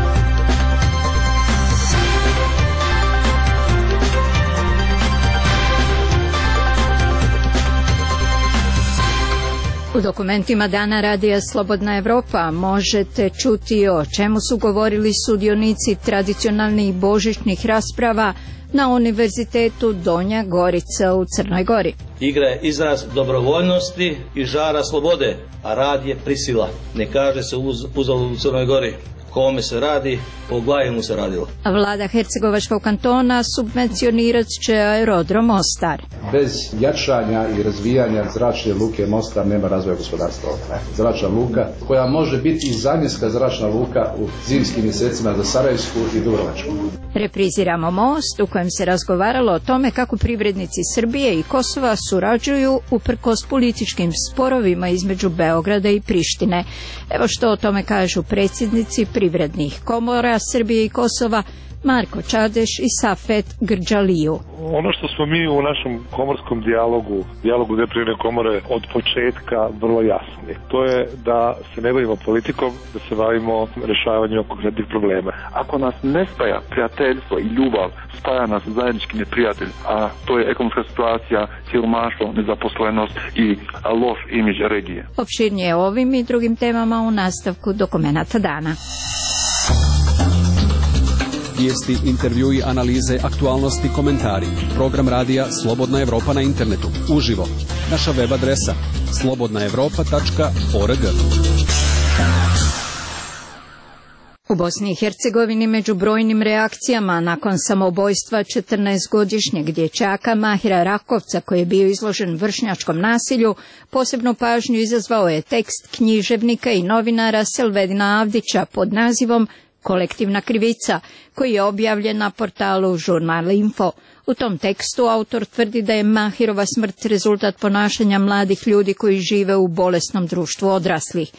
U dokumentima dana Radija Slobodna Evropa možete čuti o čemu su govorili sudionici tradicionalnih božićnih rasprava na Univerzitetu Donja Gorica u Crnoj Gori. Igra je izraz dobrovoljnosti i žara slobode, a rad je prisila. Ne kaže se uz, uzalud u Crnoj Gori. Kome se radi, po glavi mu se radilo. Vlada Hercegovačkog kantona subvencionirat će aerodrom Mostar. Bez jačanja i razvijanja zračne luke Mostar nema razvoja gospodarstva. Zračna luka koja može biti i zamjenska zračna luka u zimskim mjesecima za Sarajevsku i Dubrovačku. Repriziramo most u kojem se razgovaralo o tome kako privrednici Srbije i Kosova surađuju uprkos političkim sporovima između Beograda i Prištine. Evo što o tome kažu predsjednici privrednih komora Srbije i Kosova Marko Čadeš i Safet Grđaliju. Ono što smo mi u našem komorskom dijalogu, dijalogu dve privredne komore od početka vrlo jasni, to je da se ne bavimo politikom, da se bavimo rešavanjem konkretnih problema. Ako nas ne spaja prijateljstvo i ljubav, spaja nas zajednički neprijatelj, a to je ekonomska situacija, siromaštvo, nezaposlenost i loš imidž regije. Opširnije o ovim i drugim temama u nastavku dokumenata dana. Vijesti, intervjui, analize, aktualnosti, komentari. Program radija Slobodna Evropa na internetu. Uživo. Naša web adresa slobodna evropa tačka org. U Bosni i Hercegovini među brojnim reakcijama nakon samoubojstva četrnaestogodišnjeg dječaka Mahira Rakovca koji je bio izložen vršnjačkom nasilju, posebnu pažnju izazvao je tekst književnika i novinara Selvedina Avdića pod nazivom Kolektivna krivica, koji je objavljen na portalu Žurnal Info. U tom tekstu autor tvrdi da je Mahirova smrt rezultat ponašanja mladih ljudi koji žive u bolesnom društvu odraslih.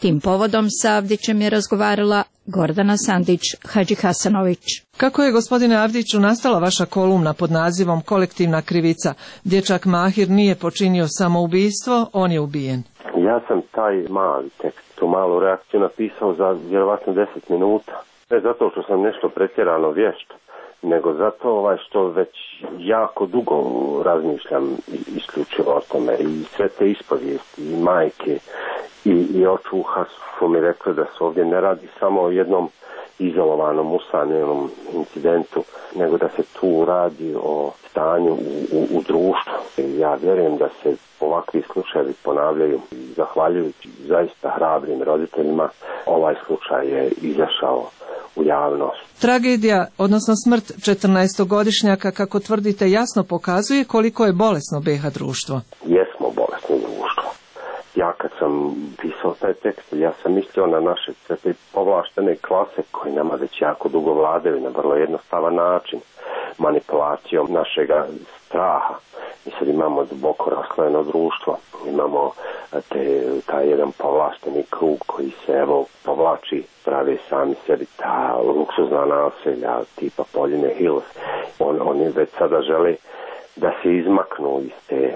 Tim povodom sa Avdićem je razgovarala Gordana Sandić-Hadžihasanović. Kako je, gospodine Avdiću, nastala vaša kolumna pod nazivom Kolektivna krivica? Dječak Mahir nije počinio samoubistvo, on je ubijen. Ja sam taj mali tekst, tu malu reakciju napisao za vjerovatno deset minuta. Ne zato što sam nešto pretjerano vješt, nego zato ovaj što već jako dugo razmišljam isključivo o tome. I sve te ispovijesti, i majke, i, i očuha su mi rekli da se ovdje ne radi samo o jednom izolovanom, usamljenom incidentu, nego da se tu radi o stanju u, u, u društvu. Ja vjerujem da se ovakvi slučajevi ponavljaju. Zahvaljujući zaista hrabrim roditeljima, ovaj slučaj je izašao u javnost. Tragedija, odnosno smrt četrnaestogodišnjaka, kako tvrdite, jasno pokazuje koliko je bolesno be ha društvo. Jesmo bolesno društvo. Ja kad sam pisao taj tekst, ja sam mislio na naše sve te povlaštene klase koji nama već jako dugo vladaju na vrlo jednostavan način, manipulacijom našega straha. Mi sad imamo duboko raslojeno društvo, imamo te, taj jedan povlašteni krug koji se evo povlači, prave sami sebi ta luksuzna naselja tipa Poljine Hills. On, oni već sada žele da se izmaknu iz te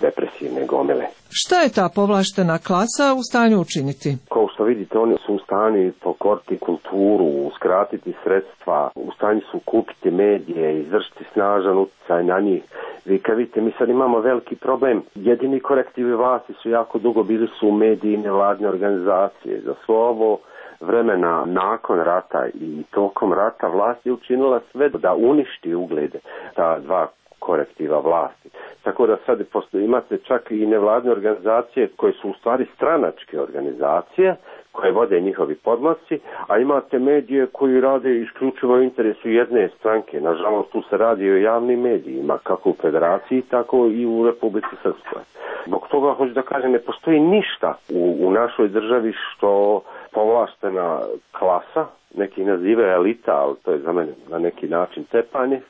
depresivne gomile. Šta je ta povlaštena klasa u stanju učiniti? Kao što vidite, oni su u stanju pokoriti kulturu, uskratiti sredstva, u stanju su kupiti medije, izvršiti snažan utjecaj na njih. Vi kad vidite, mi sad imamo veliki problem. Jedini korektivi vlasti su jako dugo bili su mediji i nevladne organizacije. Za svo ovo vremena nakon rata i tokom rata vlast je učinila sve da uništi uglede ta dva korektiva vlasti. Tako da sad imate čak i nevladne organizacije koje su u stvari stranačke organizacije, koje vode njihovi podmlaci, a imate medije koji rade isključivo u interesu jedne stranke. Nažalost, tu se radi o javnim medijima, kako u Federaciji, tako i u Republici Srpskoj. Zbog toga, hoću da kažem, ne postoji ništa u, u našoj državi što povlaštena klasa, neki nazivaju elita, ali to je za mene na neki način tepanje,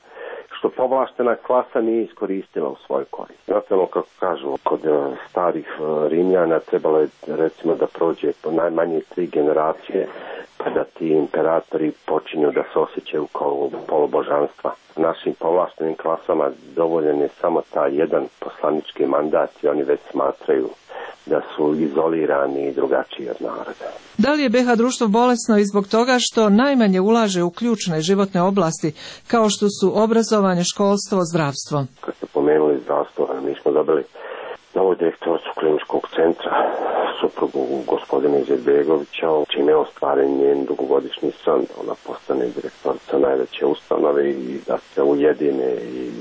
što povlaštena klasa nije iskoristila u svoj korist. Znate ono kako kažu, kod starih Rimljana trebalo je recimo da prođe po najmanje tri generacije pa da ti imperatori počinju da se osjećaju kao polubožanstva. Našim povlaštenim klasama dovoljen je samo taj jedan poslanički mandat i oni već smatraju da su izolirani i drugačiji od naroda. Da li je be ha društvo bolesno i zbog toga što najmanje ulaže u ključne životne oblasti kao što su obrazovanje, školstvo, zdravstvo? Kad ste pomenuli zdravstvo, mi smo dobili novu direktoricu kliničkog centra, suprugu gospodina Izetbegovića, čime je ostvaren njen dugogodišnji san da ona postane direktorica najveće ustanove i da se ujedine i,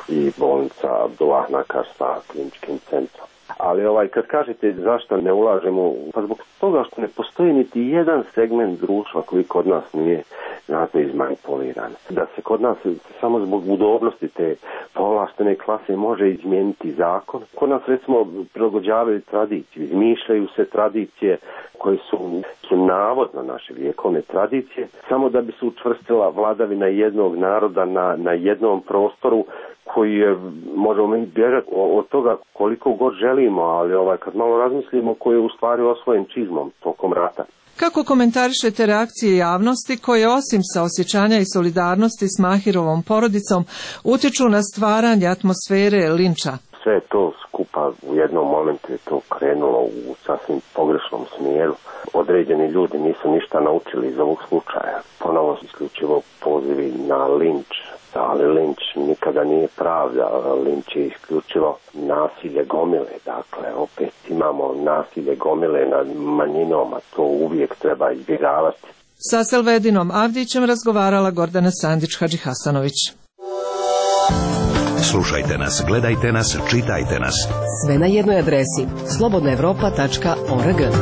i bolnica Abdullah Nakar sa kliničkim centrom. Ali ovaj, kad kažete zašto ne ulažemo, pa zbog toga što ne postoji niti jedan segment društva koji kod nas nije znatno izmanipuliran. Da se kod nas samo zbog udobnosti te povlaštene klase može izmijeniti zakon. Kod nas recimo prilagođavaju tradiciju, izmišljaju se tradicije koje su, su navodno naše vjekovne tradicije, samo da bi se učvrstila vladavina jednog naroda na, na jednom prostoru koji je, možemo mi bježati od toga koliko god želimo, ali ovaj, kad malo razmislimo, koji je u stvari osvojen čizmom tokom rata. Kako komentarišete reakcije javnosti koje osim saosjećanja i solidarnosti s Mahirovom porodicom utječu na stvaranje atmosfere linča? Sve to skupa u jednom momentu je to krenulo u sasvim pogrešnom smjeru. Određeni ljudi nisu ništa naučili iz ovog slučaja. Ponovo isključivo pozivi na linč. Ali linč nikada nije pravda, linč je isključivo nasilje gomile, dakle opet imamo nasilje gomile nad manjinom, a to uvijek treba izbjegavati. Sa Selvedinom Avdićem razgovarala Gordana Sandić-Hadžihasanović. Slušajte nas, gledajte nas, čitajte nas. Sve na jednoj adresi slobodna evropa tačka org.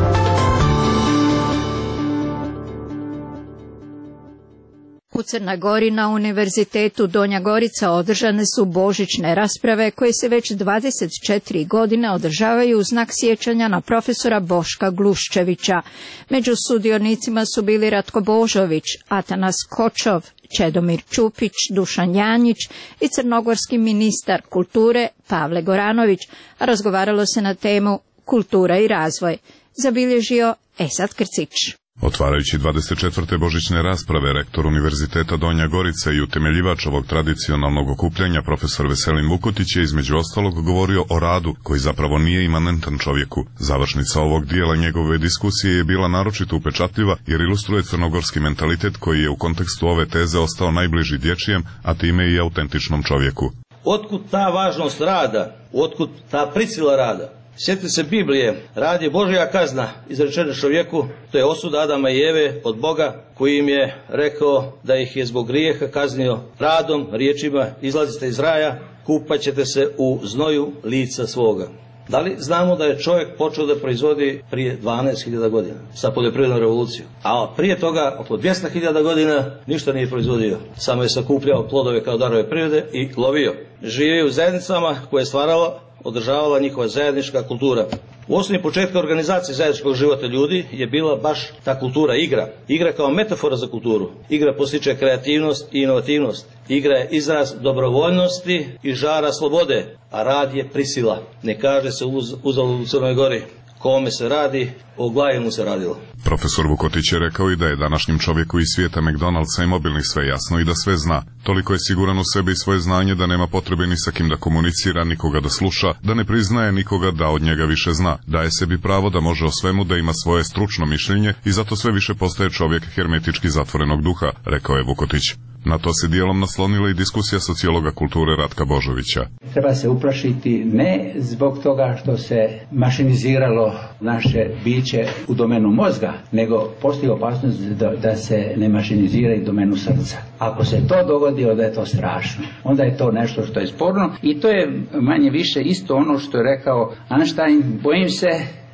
U Crnoj Gori na Univerzitetu Donja Gorica održane su božićne rasprave koje se već dvadeset četiri godine održavaju u znak sjećanja na profesora Boška Gluščevića. Među sudionicima su bili Ratko Božović, Atanas Kočov, Čedomir Čupić, Dušan Janjić i crnogorski ministar kulture Pavle Goranović, a razgovaralo se na temu kultura i razvoj. Zabilježio Esad Krcić. Otvarajući dvadeset četvrte božićne rasprave, rektor Univerziteta Donja Gorica i utemeljivač ovog tradicionalnog okupljanja, profesor Veselin Vukotić, je između ostalog govorio o radu, koji zapravo nije imanentan čovjeku. Završnica ovog dijela njegove diskusije je bila naročito upečatljiva, jer ilustruje crnogorski mentalitet koji je u kontekstu ove teze ostao najbliži dječjem, a time i autentičnom čovjeku. Otkud ta važnost rada? Otkud ta prisila rada? Sjetite se Biblije, rad je Božja kazna izrečena čovjeku, to je osuda Adama i Eve od Boga, koji im je rekao da ih je zbog grijeha kaznio radom, riječima, izlazite iz raja, kupat ćete se u znoju lica svoga. Da li znamo da je čovjek počeo da proizvodi prije dvanaest hiljada godina sa poljoprivrednom revolucijom, a prije toga oko dvjesto hiljada godina ništa nije proizvodio, samo je sakupljao plodove kao darove prirode i lovio. Živio u zajednicama koje je stvarala, održavala njihova zajednička kultura. U osnovi početka organizacije zajedničkog života ljudi je bila baš ta kultura, igra. Igra kao metafora za kulturu. Igra postiče kreativnost i inovativnost. Igra je izraz dobrovoljnosti i žara slobode, a rad je prisila. Ne kaže se uz, uzalud u Crnoj Gori. Kome se radi, o glavi mu se radilo. Profesor Vukotić je rekao i da je današnjem čovjeku iz svijeta McDonald'sa i mobilnih sve jasno i da sve zna. Toliko je siguran u sebi i svoje znanje da nema potrebe ni sa kim da komunicira, nikoga da sluša, da ne priznaje nikoga da od njega više zna. Daje sebi pravo da može o svemu, da ima svoje stručno mišljenje i zato sve više postaje čovjek hermetički zatvorenog duha, rekao je Vukotić. Na to se dijelom naslonila i diskusija sociologa kulture Ratka Božovića. Treba se uplašiti ne zbog toga što se mašiniziralo naše biće u domenu mozga, nego postoji opasnost da, da se ne mašinizira i domenu srca. Ako se to dogodi, onda je to strašno. Onda je to nešto što je sporno i to je manje više isto ono što je rekao Einstein. Bojim se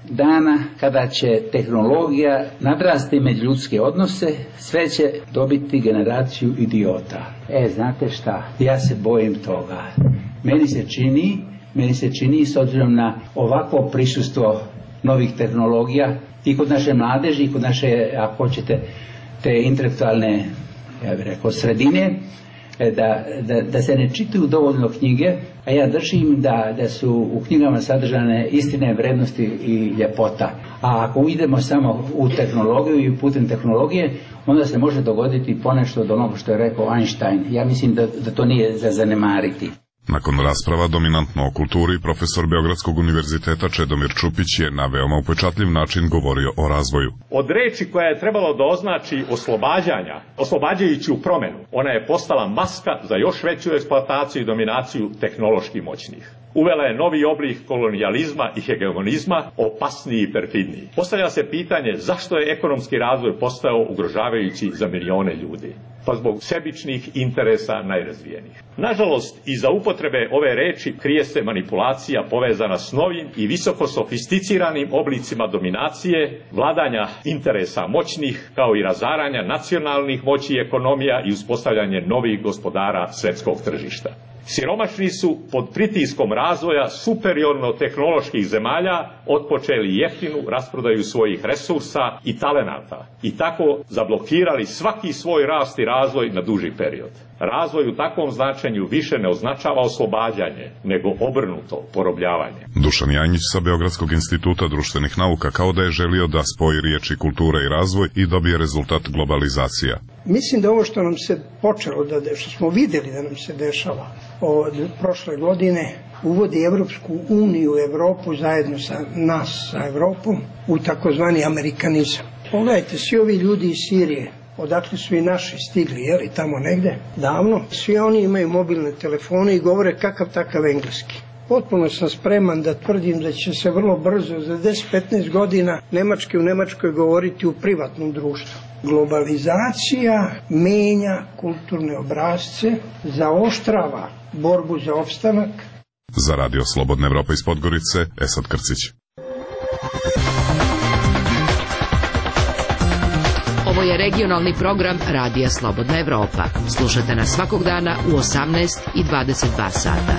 dana kada će tehnologija nadrasti među ljudske odnose, sve će dobiti generaciju idiota. E, znate šta? Ja se bojim toga. Meni se čini, meni se čini s obzirom na ovako prisustvo novih tehnologija i kod naše mladeži i kod naše, ako hoćete, te intelektualne, ja bih rekao, sredine, Da, da, da se ne čitaju dovoljno knjige, a ja držim da, da su u knjigama sadržane istine, vrednosti i ljepota. A ako idemo samo u tehnologiju i putem tehnologije, onda se može dogoditi ponešto od onoga što je rekao Einstein. Ja mislim da, da to nije za zanemariti. Nakon rasprava dominantno o kulturi, profesor Beogradskog univerziteta Čedomir Čupić je na veoma upečatljiv način govorio o razvoju. Od reči koja je trebalo da označi oslobađanja, oslobađajući u promenu, ona je postala maska za još veću eksploataciju i dominaciju tehnološki moćnih. Uvela je novi oblik kolonijalizma i hegemonizma, opasniji i perfidniji. Postavlja se pitanje zašto je ekonomski razvoj postao ugrožavajući za milione ljudi. Pa zbog sebičnih interesa najrazvijenijih. Nažalost, iza upotrebe ove reči krije se manipulacija povezana s novim i visoko sofisticiranim oblicima dominacije, vladanja interesa moćnih, kao i razaranja nacionalnih moći i ekonomija i uspostavljanje novih gospodara svetskog tržišta. Siromašni su pod pritiskom razvoja superiorno tehnoloških zemalja otpočeli jeftinu rasprodaju svojih resursa i talenata i tako zablokirali svaki svoj rast i razvoj na duži period. Razvoj u takvom značenju više ne označava oslobađanje, nego obrnuto porobljavanje. Dušan Janjić sa Beogradskog instituta društvenih nauka kao da je želio da spoji riječi kultura i razvoj i dobije rezultat globalizacija. Mislim da ovo što nam se počelo, da, što smo vidjeli da nam se dešava od prošle godine, uvodi Evropsku uniju, Evropu zajedno sa nas, sa Evropom, u takozvani amerikanizam. Pogledajte, svi ovi ljudi iz Sirije, odakle su i naši stigli, jeli, tamo negde, davno, svi oni imaju mobilne telefone i govore kakav takav engleski. Potpuno sam spreman da tvrdim da će se vrlo brzo, za deset do petnaest godina, nemački u Nemačkoj govoriti u privatnom društvu. Globalizacija menja kulturne obrazce, zaoštrava borbu za opstanak. Za Radio Slobodna Evropa iz Podgorice, Esad Krcić. Ovo je regionalni program Radija Slobodna Evropa. Slušajte nas svakog dana u osamnaest i dvadeset dva sata.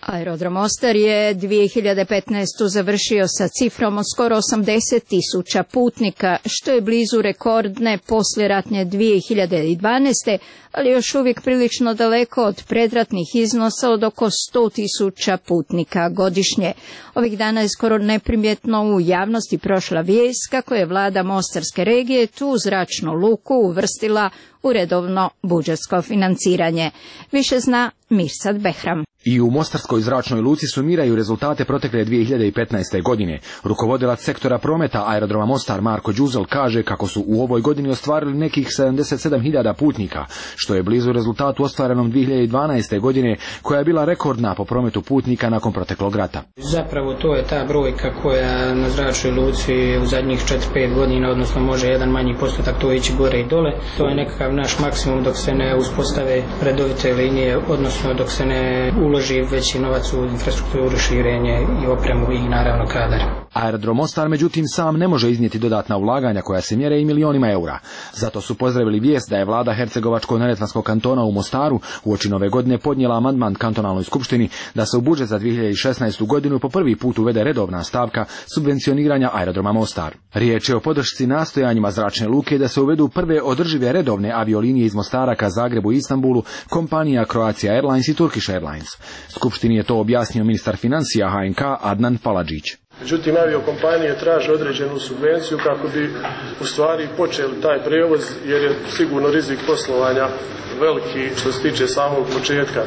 Aerodrom Mostar je dvije hiljade petnaeste. završio sa cifrom od skoro osamdeset tisuća putnika, što je blizu rekordne poslijeratne dvije hiljade dvanaeste. ali još uvijek prilično daleko od predratnih iznosa od oko sto tisuća putnika godišnje. Ovih dana je skoro neprimjetno u javnosti prošla vijest kako je vlada Mostarske regije tu zračnu luku uvrstila u redovno budžetsko financiranje. Više zna Mirsad Behram. I u Mostarskoj zračnoj luci sumiraju rezultate protekle dvije hiljade petnaeste. godine. Rukovodilac sektora prometa aerodroma Mostar Marko Đuzel kaže kako su u ovoj godini ostvarili nekih sedamdeset sedam hiljada putnika, što je blizu rezultatu ostvarenom dvije hiljade dvanaeste. godine, koja je bila rekordna po prometu putnika nakon proteklog rata. Zapravo to je ta brojka koja na zračnoj luci u zadnjih četiri pet godina, odnosno može jedan manji postotak to ići gore i dole. To je nekakav naš maksimum dok se ne uspostave redovite linije, odnosno dok se ne uloži veći novac u infrastrukturu, širenje i opremu i naravno kadar. Aerodrom Mostar međutim sam ne može iznijeti dodatna ulaganja koja se mjere i milionima eura. Zato su pozdravili vijest da je vlada Hercegovačko-neretvanskog kantona u Mostaru uoči nove godine podnijela amandman kantonalnoj skupštini da se u budžet za dvije hiljade šesnaestu. godinu po prvi put uvede redovna stavka subvencioniranja aerodroma Mostar. Riječ je o podršci nastojanjima zračne luke da se uvedu prve održive redovne aviolinije iz Mostara ka Zagrebu i Istanbulu, kompanija Croatia Airlines i Turkish Airlines. Skupštini je to objasnio ministar financija H N K Adnan Faladžić. Međutim, aviokompanije traže određenu subvenciju kako bi u stvari počeli taj prevoz, jer je sigurno rizik poslovanja veliki što se tiče samog početka.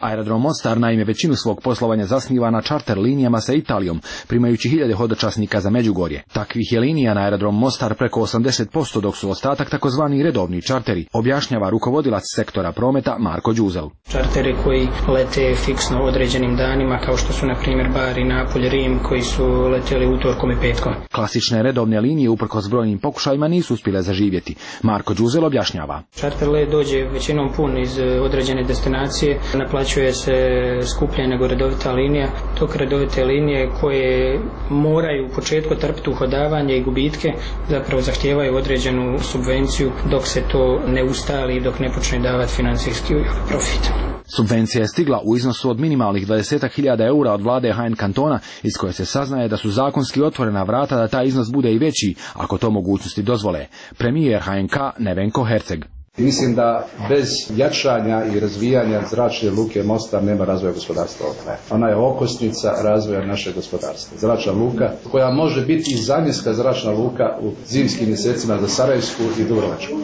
Aerodrom Mostar naime većinu svog poslovanja zasniva na čarter linijama sa Italijom, primajući hiljade hodočasnika za Međugorje. Takvih je linija na aerodrom Mostar preko osamdeset posto, dok su ostatak takozvani redovni čarteri, objašnjava rukovodilac sektora prometa Marko Đuzel. Čarteri koji lete fiksno određenim danima, kao što su na primjer Bari, Napolj, Rim, koji su leteli utorkom i petkom. Klasične redovne linije uprkos brojnim pokušajima nisu uspjele zaživjeti. Marko Đuzel objašnjava. Čarter let dođe većinom pun iz određene destinacije, naplaćuje se skuplje nego redovita linija, dok redovite linije koje moraju u početku trpiti uhodavanje i gubitke zapravo zahtijevaju određenu subvenciju dok se to ne ustali i dok ne počne davati financijski profit. Subvencija je stigla u iznosu od minimalnih dvadeset hiljada eura od vlade H N kantona, iz koje se saznaje da su zakonski otvorena vrata da taj iznos bude i veći, ako to mogućnosti dozvole. Premijer H N K Nevenko Herceg. Mislim da bez jačanja i razvijanja zračne luke Mostar nema razvoja gospodarstva. Ona je okosnica razvoja našeg gospodarstva. Zračna luka koja može biti i zamjenska zračna luka u zimskim mjesecima za Sarajevsku i Dubrovačku.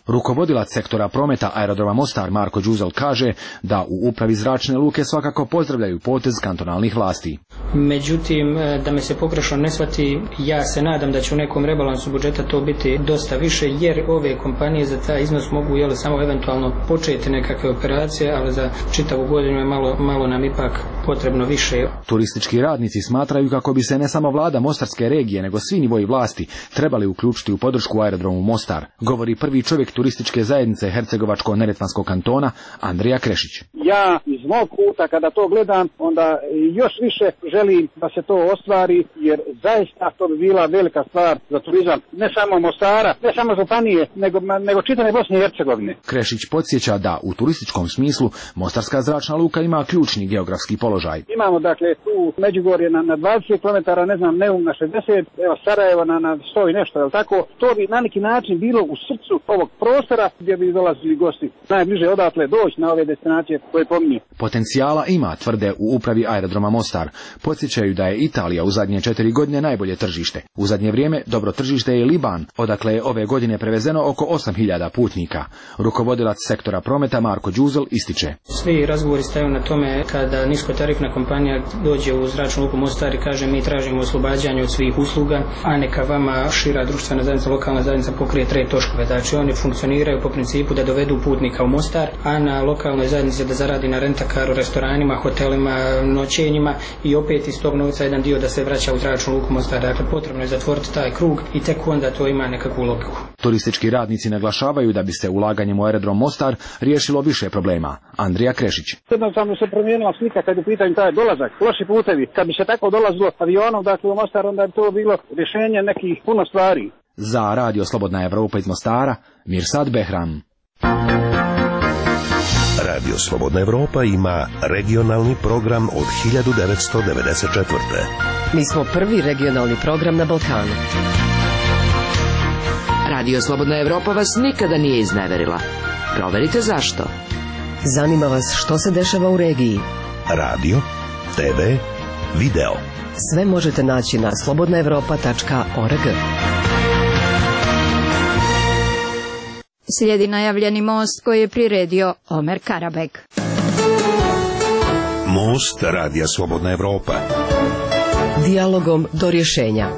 Rukovodilac sektora prometa aerodroma Mostar Marko Đuzel kaže da u upravi zračne luke svakako pozdravljaju potez kantonalnih vlasti. Međutim, da me se pogrešno ne shvati, ja se nadam da će u nekom rebalansu budžeta to biti dosta više, jer ove kompanije za taj iznos mogu jel, samo eventualno početi nekakve operacije, ali za čitavu godinu je malo, malo nam ipak potrebno više. Turistički radnici smatraju kako bi se ne samo vlada Mostarske regije, nego svi nivoji vlasti trebali uključiti u podršku aerodromu Mostar, govori prvi čovjek turističke zajednice Hercegovačko-neretvanskog kantona Andrija Krešić. Ja iz mog kuta kada to gledam, onda još više želim da se to ostvari, jer zaista to bi bila velika stvar za turizam, ne samo Mostara, ne samo županije, nego, nego čitave Bosne i Hercegovine. Krešić podsjeća da u turističkom smislu Mostarska zračna luka ima ključni geografski položaj. Imamo dakle tu Međugorje na, na dvadeset kilometara, ne znam, Neum na šezdeset, evo Sarajevo na, na sto i nešto, je li tako? To bi na neki način bilo u srcu ovog prostora gdje bi dolazili gosti najbliže odatle doći na ove destinacije koje pominju. Potencijala ima, tvrde u upravi aerodroma Mostar. Podsjećaju da je Italija u zadnje četiri godine najbolje tržište. U zadnje vrijeme dobro tržište je Liban, odakle je ove godine prevezeno oko osam hiljada putnika. Rukovodilac sektora prometa Marko Đuzel ističe. Svi razgovori staju na tome kada niskotarifna kompanija dođe u zračnu luku Mostar i kaže mi tražimo oslobađanje od svih usluga, a neka vama šira društvena zajednica, lokalna zajednica pokrije tre točkove. Znači oni funkcioniraju po principu da dovedu putnika u Mostar, a na lokalnoj zajednici da zaradi na rentakaru, restoranima, hotelima, noćenjima i opet iz tog novca jedan dio da se vraća u zračnu luku Mostar. Dakle, potrebno je zatvoriti taj krug i tek onda to ima nekakvu logiku. Turistički radnici naglašavaju da bi se ulaganjem u aerodrom Mostar riješilo više problema. Andrija Krešić. Jednostavno se promijenila slika kad je u pitanju taj dolazak, loši putevi. Kad bi se tako dolazilo avionom, dakle u Mostar, onda bi to bilo rješenje nekih puno stvari. Za Radio Slobodna Evropa iz Mostara, Mirsad Behram. Radio Slobodna Evropa ima regionalni program od hiljadu devetsto devedeset četvrte. Mi smo prvi regionalni program na Balkanu. Radio Slobodna Evropa vas nikada nije izneverila. Proverite zašto. Zanima vas što se dešava u regiji. Radio, te ve, video. Sve možete naći na slobodna evropa tačka org. Slijedi najavljeni most koji je priredio Omer Karabek. Most Radija Slobodna Evropa. Dijalogom do rješenja.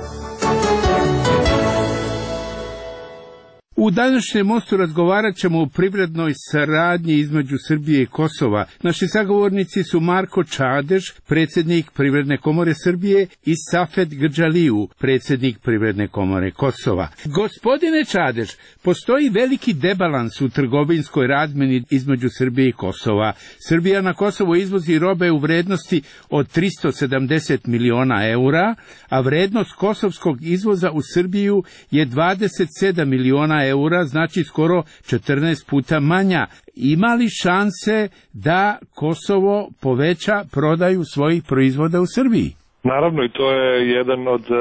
U današnjem mostu razgovarat ćemo o privrednoj saradnji između Srbije i Kosova. Naši sagovornici su Marko Čadež, predsjednik Privredne komore Srbije, i Safet Grdžaliju, predsjednik Privredne komore Kosova. Gospodine Čadež, postoji veliki debalans u trgovinskoj razmjeni između Srbije i Kosova. Srbija na Kosovo izvozi robe u vrednosti od tristo sedamdeset miliona eura, a vrednost kosovskog izvoza u Srbiju je dvadeset sedam miliona eura. eura, znači skoro četrnaest puta manja. Ima li šanse da Kosovo poveća prodaju svojih proizvoda u Srbiji? Naravno, i to je jedan od uh,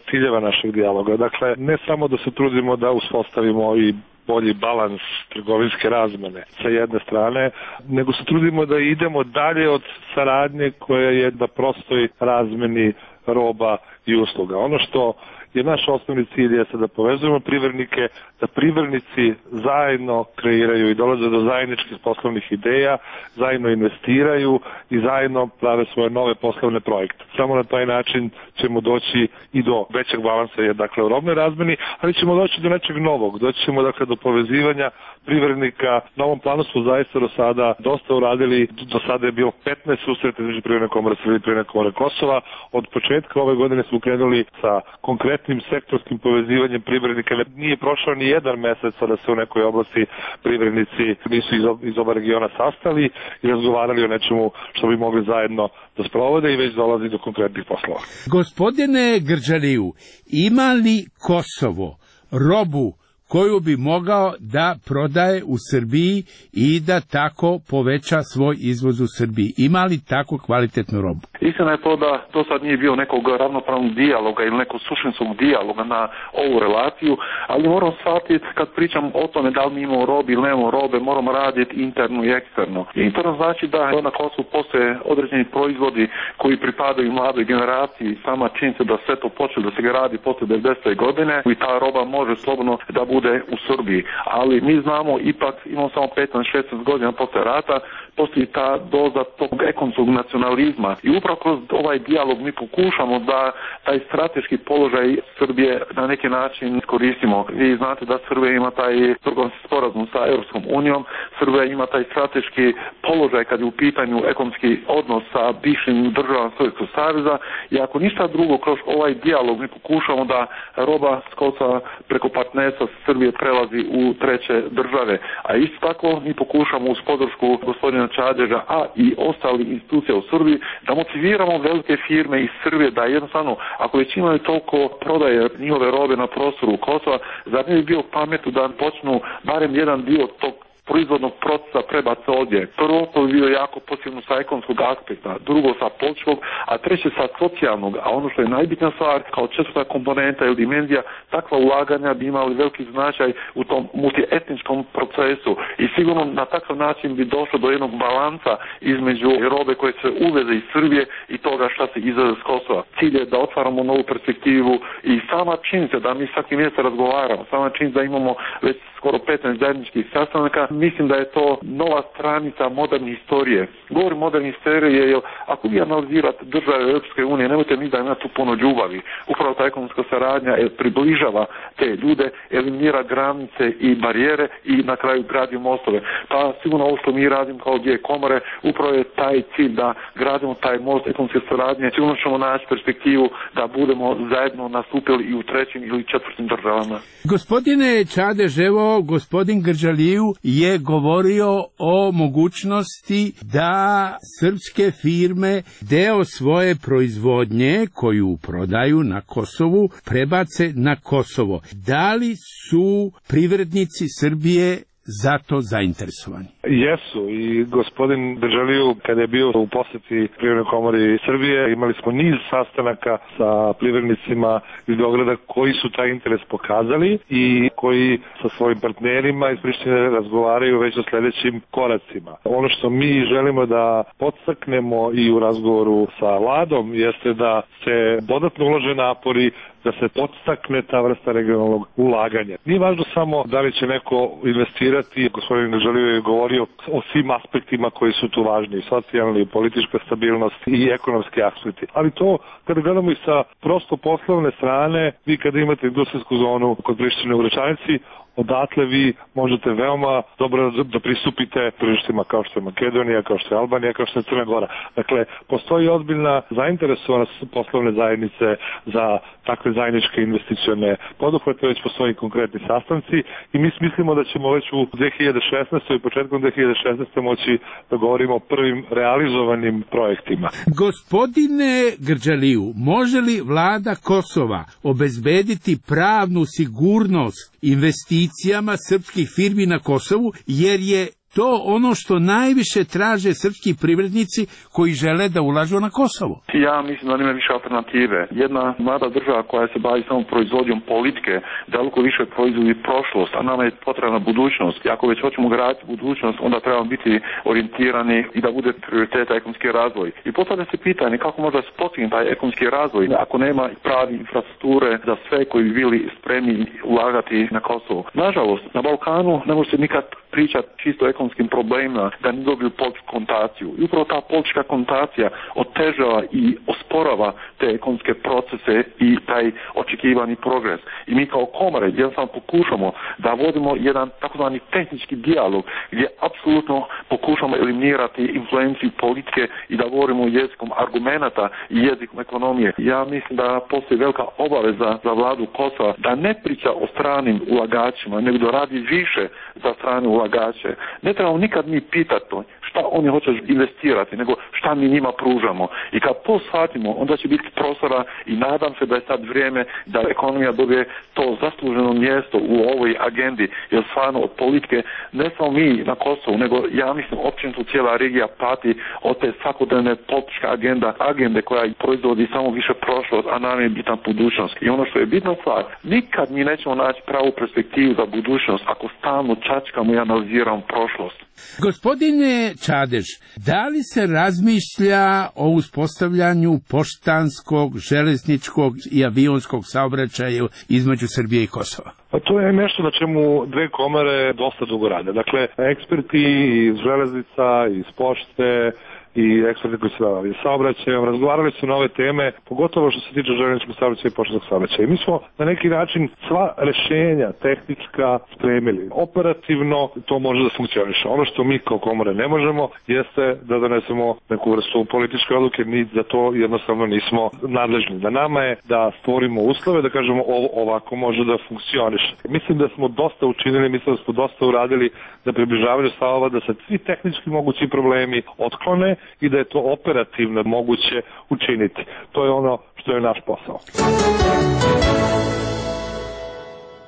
ciljeva našeg dijaloga. Dakle, ne samo da se trudimo da uspostavimo i bolji balans trgovinske razmene sa jedne strane, nego se trudimo da idemo dalje od saradnje koja je na prostoj razmeni roba i usluga. Ono što jer naš osnovni cilj jeste da povezujemo privrednike, da privrednici zajedno kreiraju i dolaze do zajedničkih poslovnih ideja, zajedno investiraju i zajedno prave svoje nove poslovne projekte. Samo na taj način ćemo doći i do većeg balansa, je dakle u robnoj razmeni, ali ćemo doći do nečeg novog, doći ćemo dakle do povezivanja privrednika. Na ovom planu smo zaista do sada dosta uradili, do sada je bilo petnaest susreta između Privredne komore Srbije i Privredne komore Kosova. Od početka ove godine smo krenuli sa konkretnim sektorskim povezivanjem privrednika. Nije prošao ni jedan mesec da se u nekoj oblasti privrednici nisu iz, iz oba regiona sastali i razgovarali o nečemu što bi mogli zajedno da sprovode i već dolazi do konkretnih poslova. Gospodine Grđaliju, ima li Kosovo robu koju bi mogao da prodaje u Srbiji i da tako poveća svoj izvoz u Srbiji? Ima li tako kvalitetnu robu? Istina je to da do sad nije bio nekog ravnopravnog dijaloga ili nekog suštinskog dijaloga na ovu relaciju, ali moram shvatiti kad pričam o tome da li mi imamo robe ili nemamo robe, moramo raditi interno i eksterno. Interno znači da na Kosovu postoje određeni proizvodi koji pripadaju mladoj generaciji, sama činjenica da sve to počelo da se gradi posle devedesete godine i ta roba može slobodno da bude u Srbiji, ali mi znamo ipak, imamo samo petnaest šesnaest godina posle rata, postoji ta doza tog ekonomskog nacionalizma i upravo kroz ovaj dijalog mi pokušamo da taj strateški položaj Srbije na neki način koristimo. Vi znate da Srbija ima taj trgovinski sporazum sa Europskom unijom, Srbija ima taj strateški položaj kad je u pitanju ekonomski odnos sa bivšim državama Sovjetskog saveza i ako ništa drugo kroz ovaj dijalog mi pokušamo da roba s Kosova preko partnerstva sa Srbije prelazi u treće države, a isto tako mi pokušamo uz podršku gospodina Čadeža, a i ostali institucija u Srbiji, da motiviramo velike firme iz Srbije da jednostavno, ako već imaju toliko prodaje njihove robe na prostoru Kosova, zar ne bi bio pametno da počnu barem jedan dio tog proizvodnog procesa prebaca ovdje. Prvo, to bi bio jako posebno sa ekonomskog aspekta, drugo sa političkog, a treće sa socijalnog, a ono što je najbitnija stvar, kao četvrta komponenta ili dimenzija, takva ulaganja bi imali veliki značaj u tom multietničkom procesu i sigurno na takav način bi došlo do jednog balansa između robe koje se uveze iz Srbije i toga šta se izveze s Kosova. Cilj je da otvaramo novu perspektivu i sama činjenica da mi svaki mjesec razgovaramo, sama činjenica da imamo već skoro petnaest zajedničkih sastanaka, mislim da je to nova stranica moderne historije. Govorim moderne historije jer ako vi analizirate države Europske unije, nemojte mi da ima tu puno ljubavi. Upravo ta ekonomska saradnja približava te ljude, eliminira granice i barijere i na kraju gradi mostove. Pa sigurno ovo što mi radimo kao dvije komore, upravo je taj cilj da gradimo taj most ekonomske saradnje. Sigurno ćemo naći perspektivu da budemo zajedno nastupili i u trećim ili četvrtim državama. Gospodine Čadež, evo gospodin Grđaliju je govorio o mogućnosti da srpske firme deo svoje proizvodnje koju prodaju na Kosovu prebace na Kosovo. Da li su privrednici Srbije za to zainteresovani? Jesu i gospodin Grđaliju kada je bio u posjeti Privrednoj komori Srbije imali smo niz sastanaka sa privrednicima iz Beograda koji su taj interes pokazali i koji sa svojim partnerima iz Prištine razgovaraju već o sljedećim koracima. Ono što mi želimo da podstaknemo i u razgovoru sa vladom jeste da se dodatno ulože napori da se podstakne ta vrsta regionalnog ulaganja. Nije važno samo da li će neko investirati, gospodin Grđaliju je govorio o svim aspektima koji su tu važni, socijalni, politička stabilnost i ekonomski aspekti. Ali to, kada gledamo i sa prosto poslovne strane, vi kada imate industrijsku zonu kod Prištine u Gračanici, odatle vi možete veoma dobro da pristupite tržištima kao što je Makedonija, kao što je Albanija, kao što je Crna Gora. Dakle, postoji ozbiljna zainteresovanost poslovne zajednice za takve zajedničke investicione poduhvate, već postoji konkretni sastanci i mi mislimo da ćemo već u dve hiljade šesnaestoj i početkom dve hiljade šesnaeste moći da govorimo o prvim realizovanim projektima. Gospodine Grđaliju, može li vlada Kosova obezbediti pravnu sigurnost investicijama srpskih firmi na Kosovu, jer je to ono što najviše traže srpski privrednici koji žele da ulažu na Kosovo? Ja mislim da nema više alternative. Jedna mlada država koja se bavi samo proizvodnjom politike, daleko više proizvodi prošlost, a nama je potrebna budućnost. I ako već hoćemo graditi budućnost, onda trebamo biti orijentirani i da bude prioritet ekonomski razvoj. I postavlja se pitanje kako možda se postigne taj ekonomski razvoj ako nema pravi infrastrukture za sve koji bi bili spremni ulagati na Kosovo. Nažalost, na Balkanu ne može se nikad pričati čisto o ekonomskim problemima da ne dobiju političku konotaciju. I upravo ta politička konotacija otežava i osporava te ekonomske procese i taj očekivani progres. I mi kao komore jednostavno pokušamo da vodimo jedan takozvani tehnički dijalog gdje apsolutno pokušamo eliminirati influenciju politike i da govorimo jezikom argumenata i jezikom ekonomije. Ja mislim da postoji velika obaveza za vladu Kosova da ne priča o stranim ulagačima, nego da radi više za strane ulagače. Ne trebamo nikad mi pitati to šta oni hoće investirati, nego šta mi njima pružamo. I kad to shvatimo, onda će biti prostora i nadam se da je sad vrijeme da ekonomija dobije to zasluženo mjesto u ovoj agendi, jer stvarno od politike ne samo mi na Kosovu, nego ja mislim općenito cijela regija pati od te svakodnevne politička agenda, agende koja proizvodi samo više prošlost, a nam je bitna budućnost. I ono što je bitna stvar, nikad mi nećemo naći pravu perspektivu za budućnost ako stalno čačkamo i analiziramo prošlost. Gospodine Čadež, da li se razmišlja o uspostavljanju poštanskog, železničkog i avionskog saobraćaja između Srbije i Kosova? Pa to je nešto na čemu dve komore dosta dugo rade. Dakle, eksperti iz železnica, iz pošte i eksperti koji se bavili saobraćajem razgovarali su na ove teme, pogotovo što se tiče željezničkog saobraćaja i poštanskog saobraćaja. I mi smo na neki način sva rešenja tehnička spremili. Operativno to može da funkcioniše. Ono što mi kao komore ne možemo jeste da donesemo neku vrstu političke odluke, ni za to jednostavno nismo nadležni. Na nama je da stvorimo uslove, da kažemo ovo ovako može da funkcioniše. Mislim da smo dosta učinili, mislim da smo dosta uradili za približavanje stavova, da se svi tehnički mogući problemi otklone i da je to operativno moguće učiniti. To je ono što je naš posao.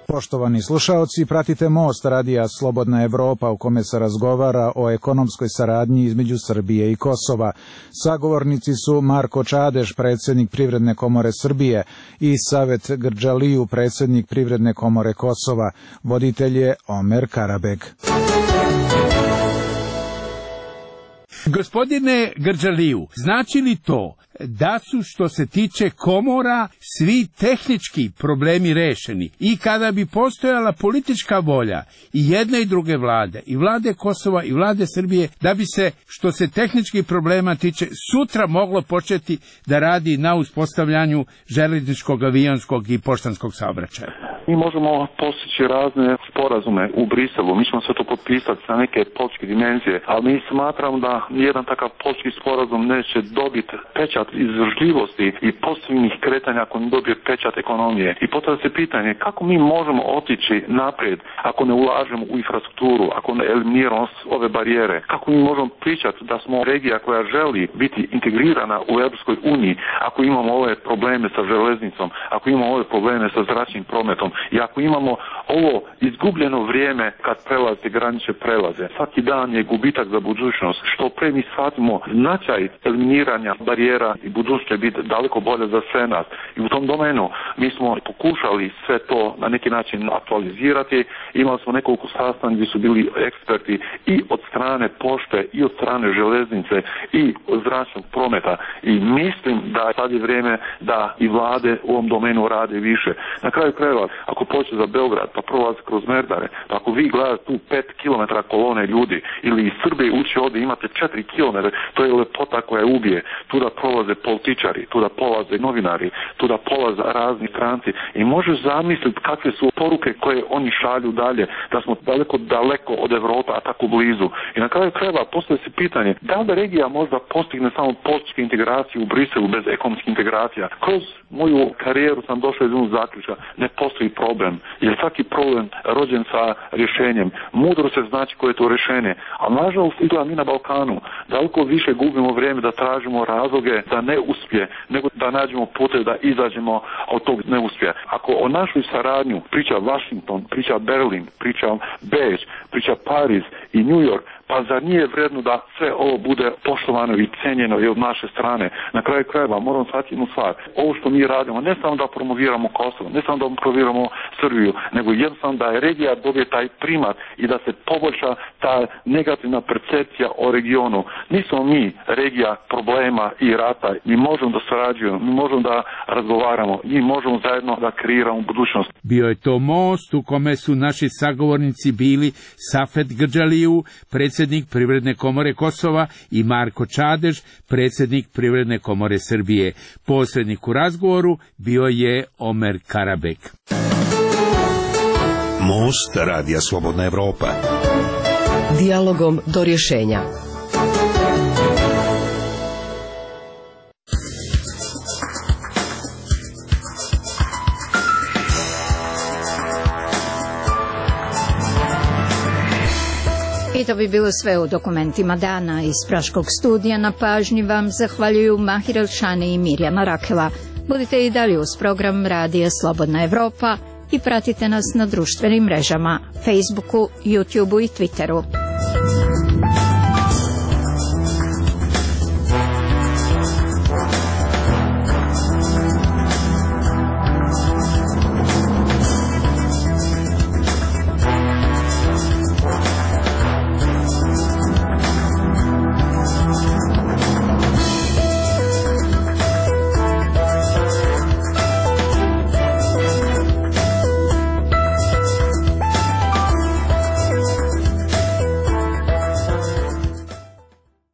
Poštovani slušaoci, pratite Most radija Slobodna Evropa u kome se razgovara o ekonomskoj saradnji između Srbije i Kosova. Sagovornici su Marko Čadež, predsjednik Privredne komore Srbije, i Savet Grđaliju, predsjednik Privredne komore Kosova. Voditelj je Omer Karabeg. Gospodine Grđaliju, znači li to da su, što se tiče komora, svi tehnički problemi rešeni i kada bi postojala politička volja i jedne i druge vlade, i vlade Kosova i vlade Srbije, da bi se, što se tehničkih problema tiče, sutra moglo početi da radi na uspostavljanju železničkog, avionskog i poštanskog saobraćaja? Mi možemo postići razne sporazume u Briselu, mi ćemo sve to potpisati sa neke političke dimenzije, ali mi smatramo da nijedan takav politički sporazum neće dobiti pečat izdržljivosti i pozitivnih kretanja ako ne dobije pečat ekonomije. I postavlja se pitanje kako mi možemo otići naprijed ako ne ulažemo u infrastrukturu, ako ne eliminiramo ove barijere, kako mi možemo pričati da smo regija koja želi biti integrirana u Europskoj uniji ako imamo ove probleme sa železnicom, ako imamo ove probleme sa zračnim prometom i ako imamo ovo izgubljeno vrijeme kad prelaze granične prelaze. Svaki dan je gubitak za budućnost. Što pre mi shvatimo značaj eliminiranja barijera i budućnost će biti daleko bolje za sve nas. I u tom domenu mi smo pokušali sve to na neki način aktualizirati. Imali smo nekoliko sastanaka gdje su bili eksperti i od strane pošte i od strane železnice i od zračnog prometa. I mislim da sad je vrijeme da i vlade u ovom domenu rade više. Na kraju krajeva, ako pođe za Beograd pa prolazi kroz Merdare, pa ako vi gledate tu pet kilometara kolone ljudi ili iz Srbije ući ovdje imate četiri kilometra, to je lepota koja ubije. Tu da prolaze političari, tu da polaze novinari, tu da polaze razni stranci i možeš zamisliti kakve su poruke koje oni šalju dalje, da smo daleko daleko od Evropa, a tako blizu. I na kraju krajeva postoji se pitanje da li regija možda postigne samo političke integracije u Briselu bez ekonomskih integracija. Kroz moju karijeru sam došao iz jednog zaključka, ne postoji problem, jer svaki problem rođen sa rješenjem. Mudro se znači koje je to rješenje, a nažalost izgleda mi na Balkanu daleko više gubimo vrijeme da tražimo razloge da ne uspije, nego da nađemo pute da izađemo od tog neuspjeha. Ako o našoj saradnju priča Washington, priča Berlin, priča Beč, priča Pariz i New York, Pa zar nije vredno da sve ovo bude poštovano i cenjeno i od naše strane? Na kraju krajeva moramo shvatiti jednu stvar. Ovo što mi radimo, ne samo da promoviramo Kosovo, ne samo da promoviramo Srbiju, nego jednostavno da je regija dobije taj primat i da se poboljša ta negativna percepcija o regionu. Nismo mi regija problema i rata. Mi možemo da sarađujemo, mi možemo da razgovaramo, mi možemo zajedno da kreiramo budućnost. Bio je to most u kome su naši sagovornici bili Safet Grđaliju, predsjednik Privredne komore Kosova, i Marko Čadež, predsjednik Privredne komore Srbije. Posrednik u razgovoru bio je Omer Karabek. Most Radija Slobodna Evropa. Dijalogom do rješenja. I to bi bilo sve u dokumentima dana. Iz Praškog studija na pažnji vam zahvaljuju Mahir Elšani i Mirjana Rakela. Budite i dalje uz program Radija Slobodna Evropa i pratite nas na društvenim mrežama, Facebooku, YouTubeu i Twitteru.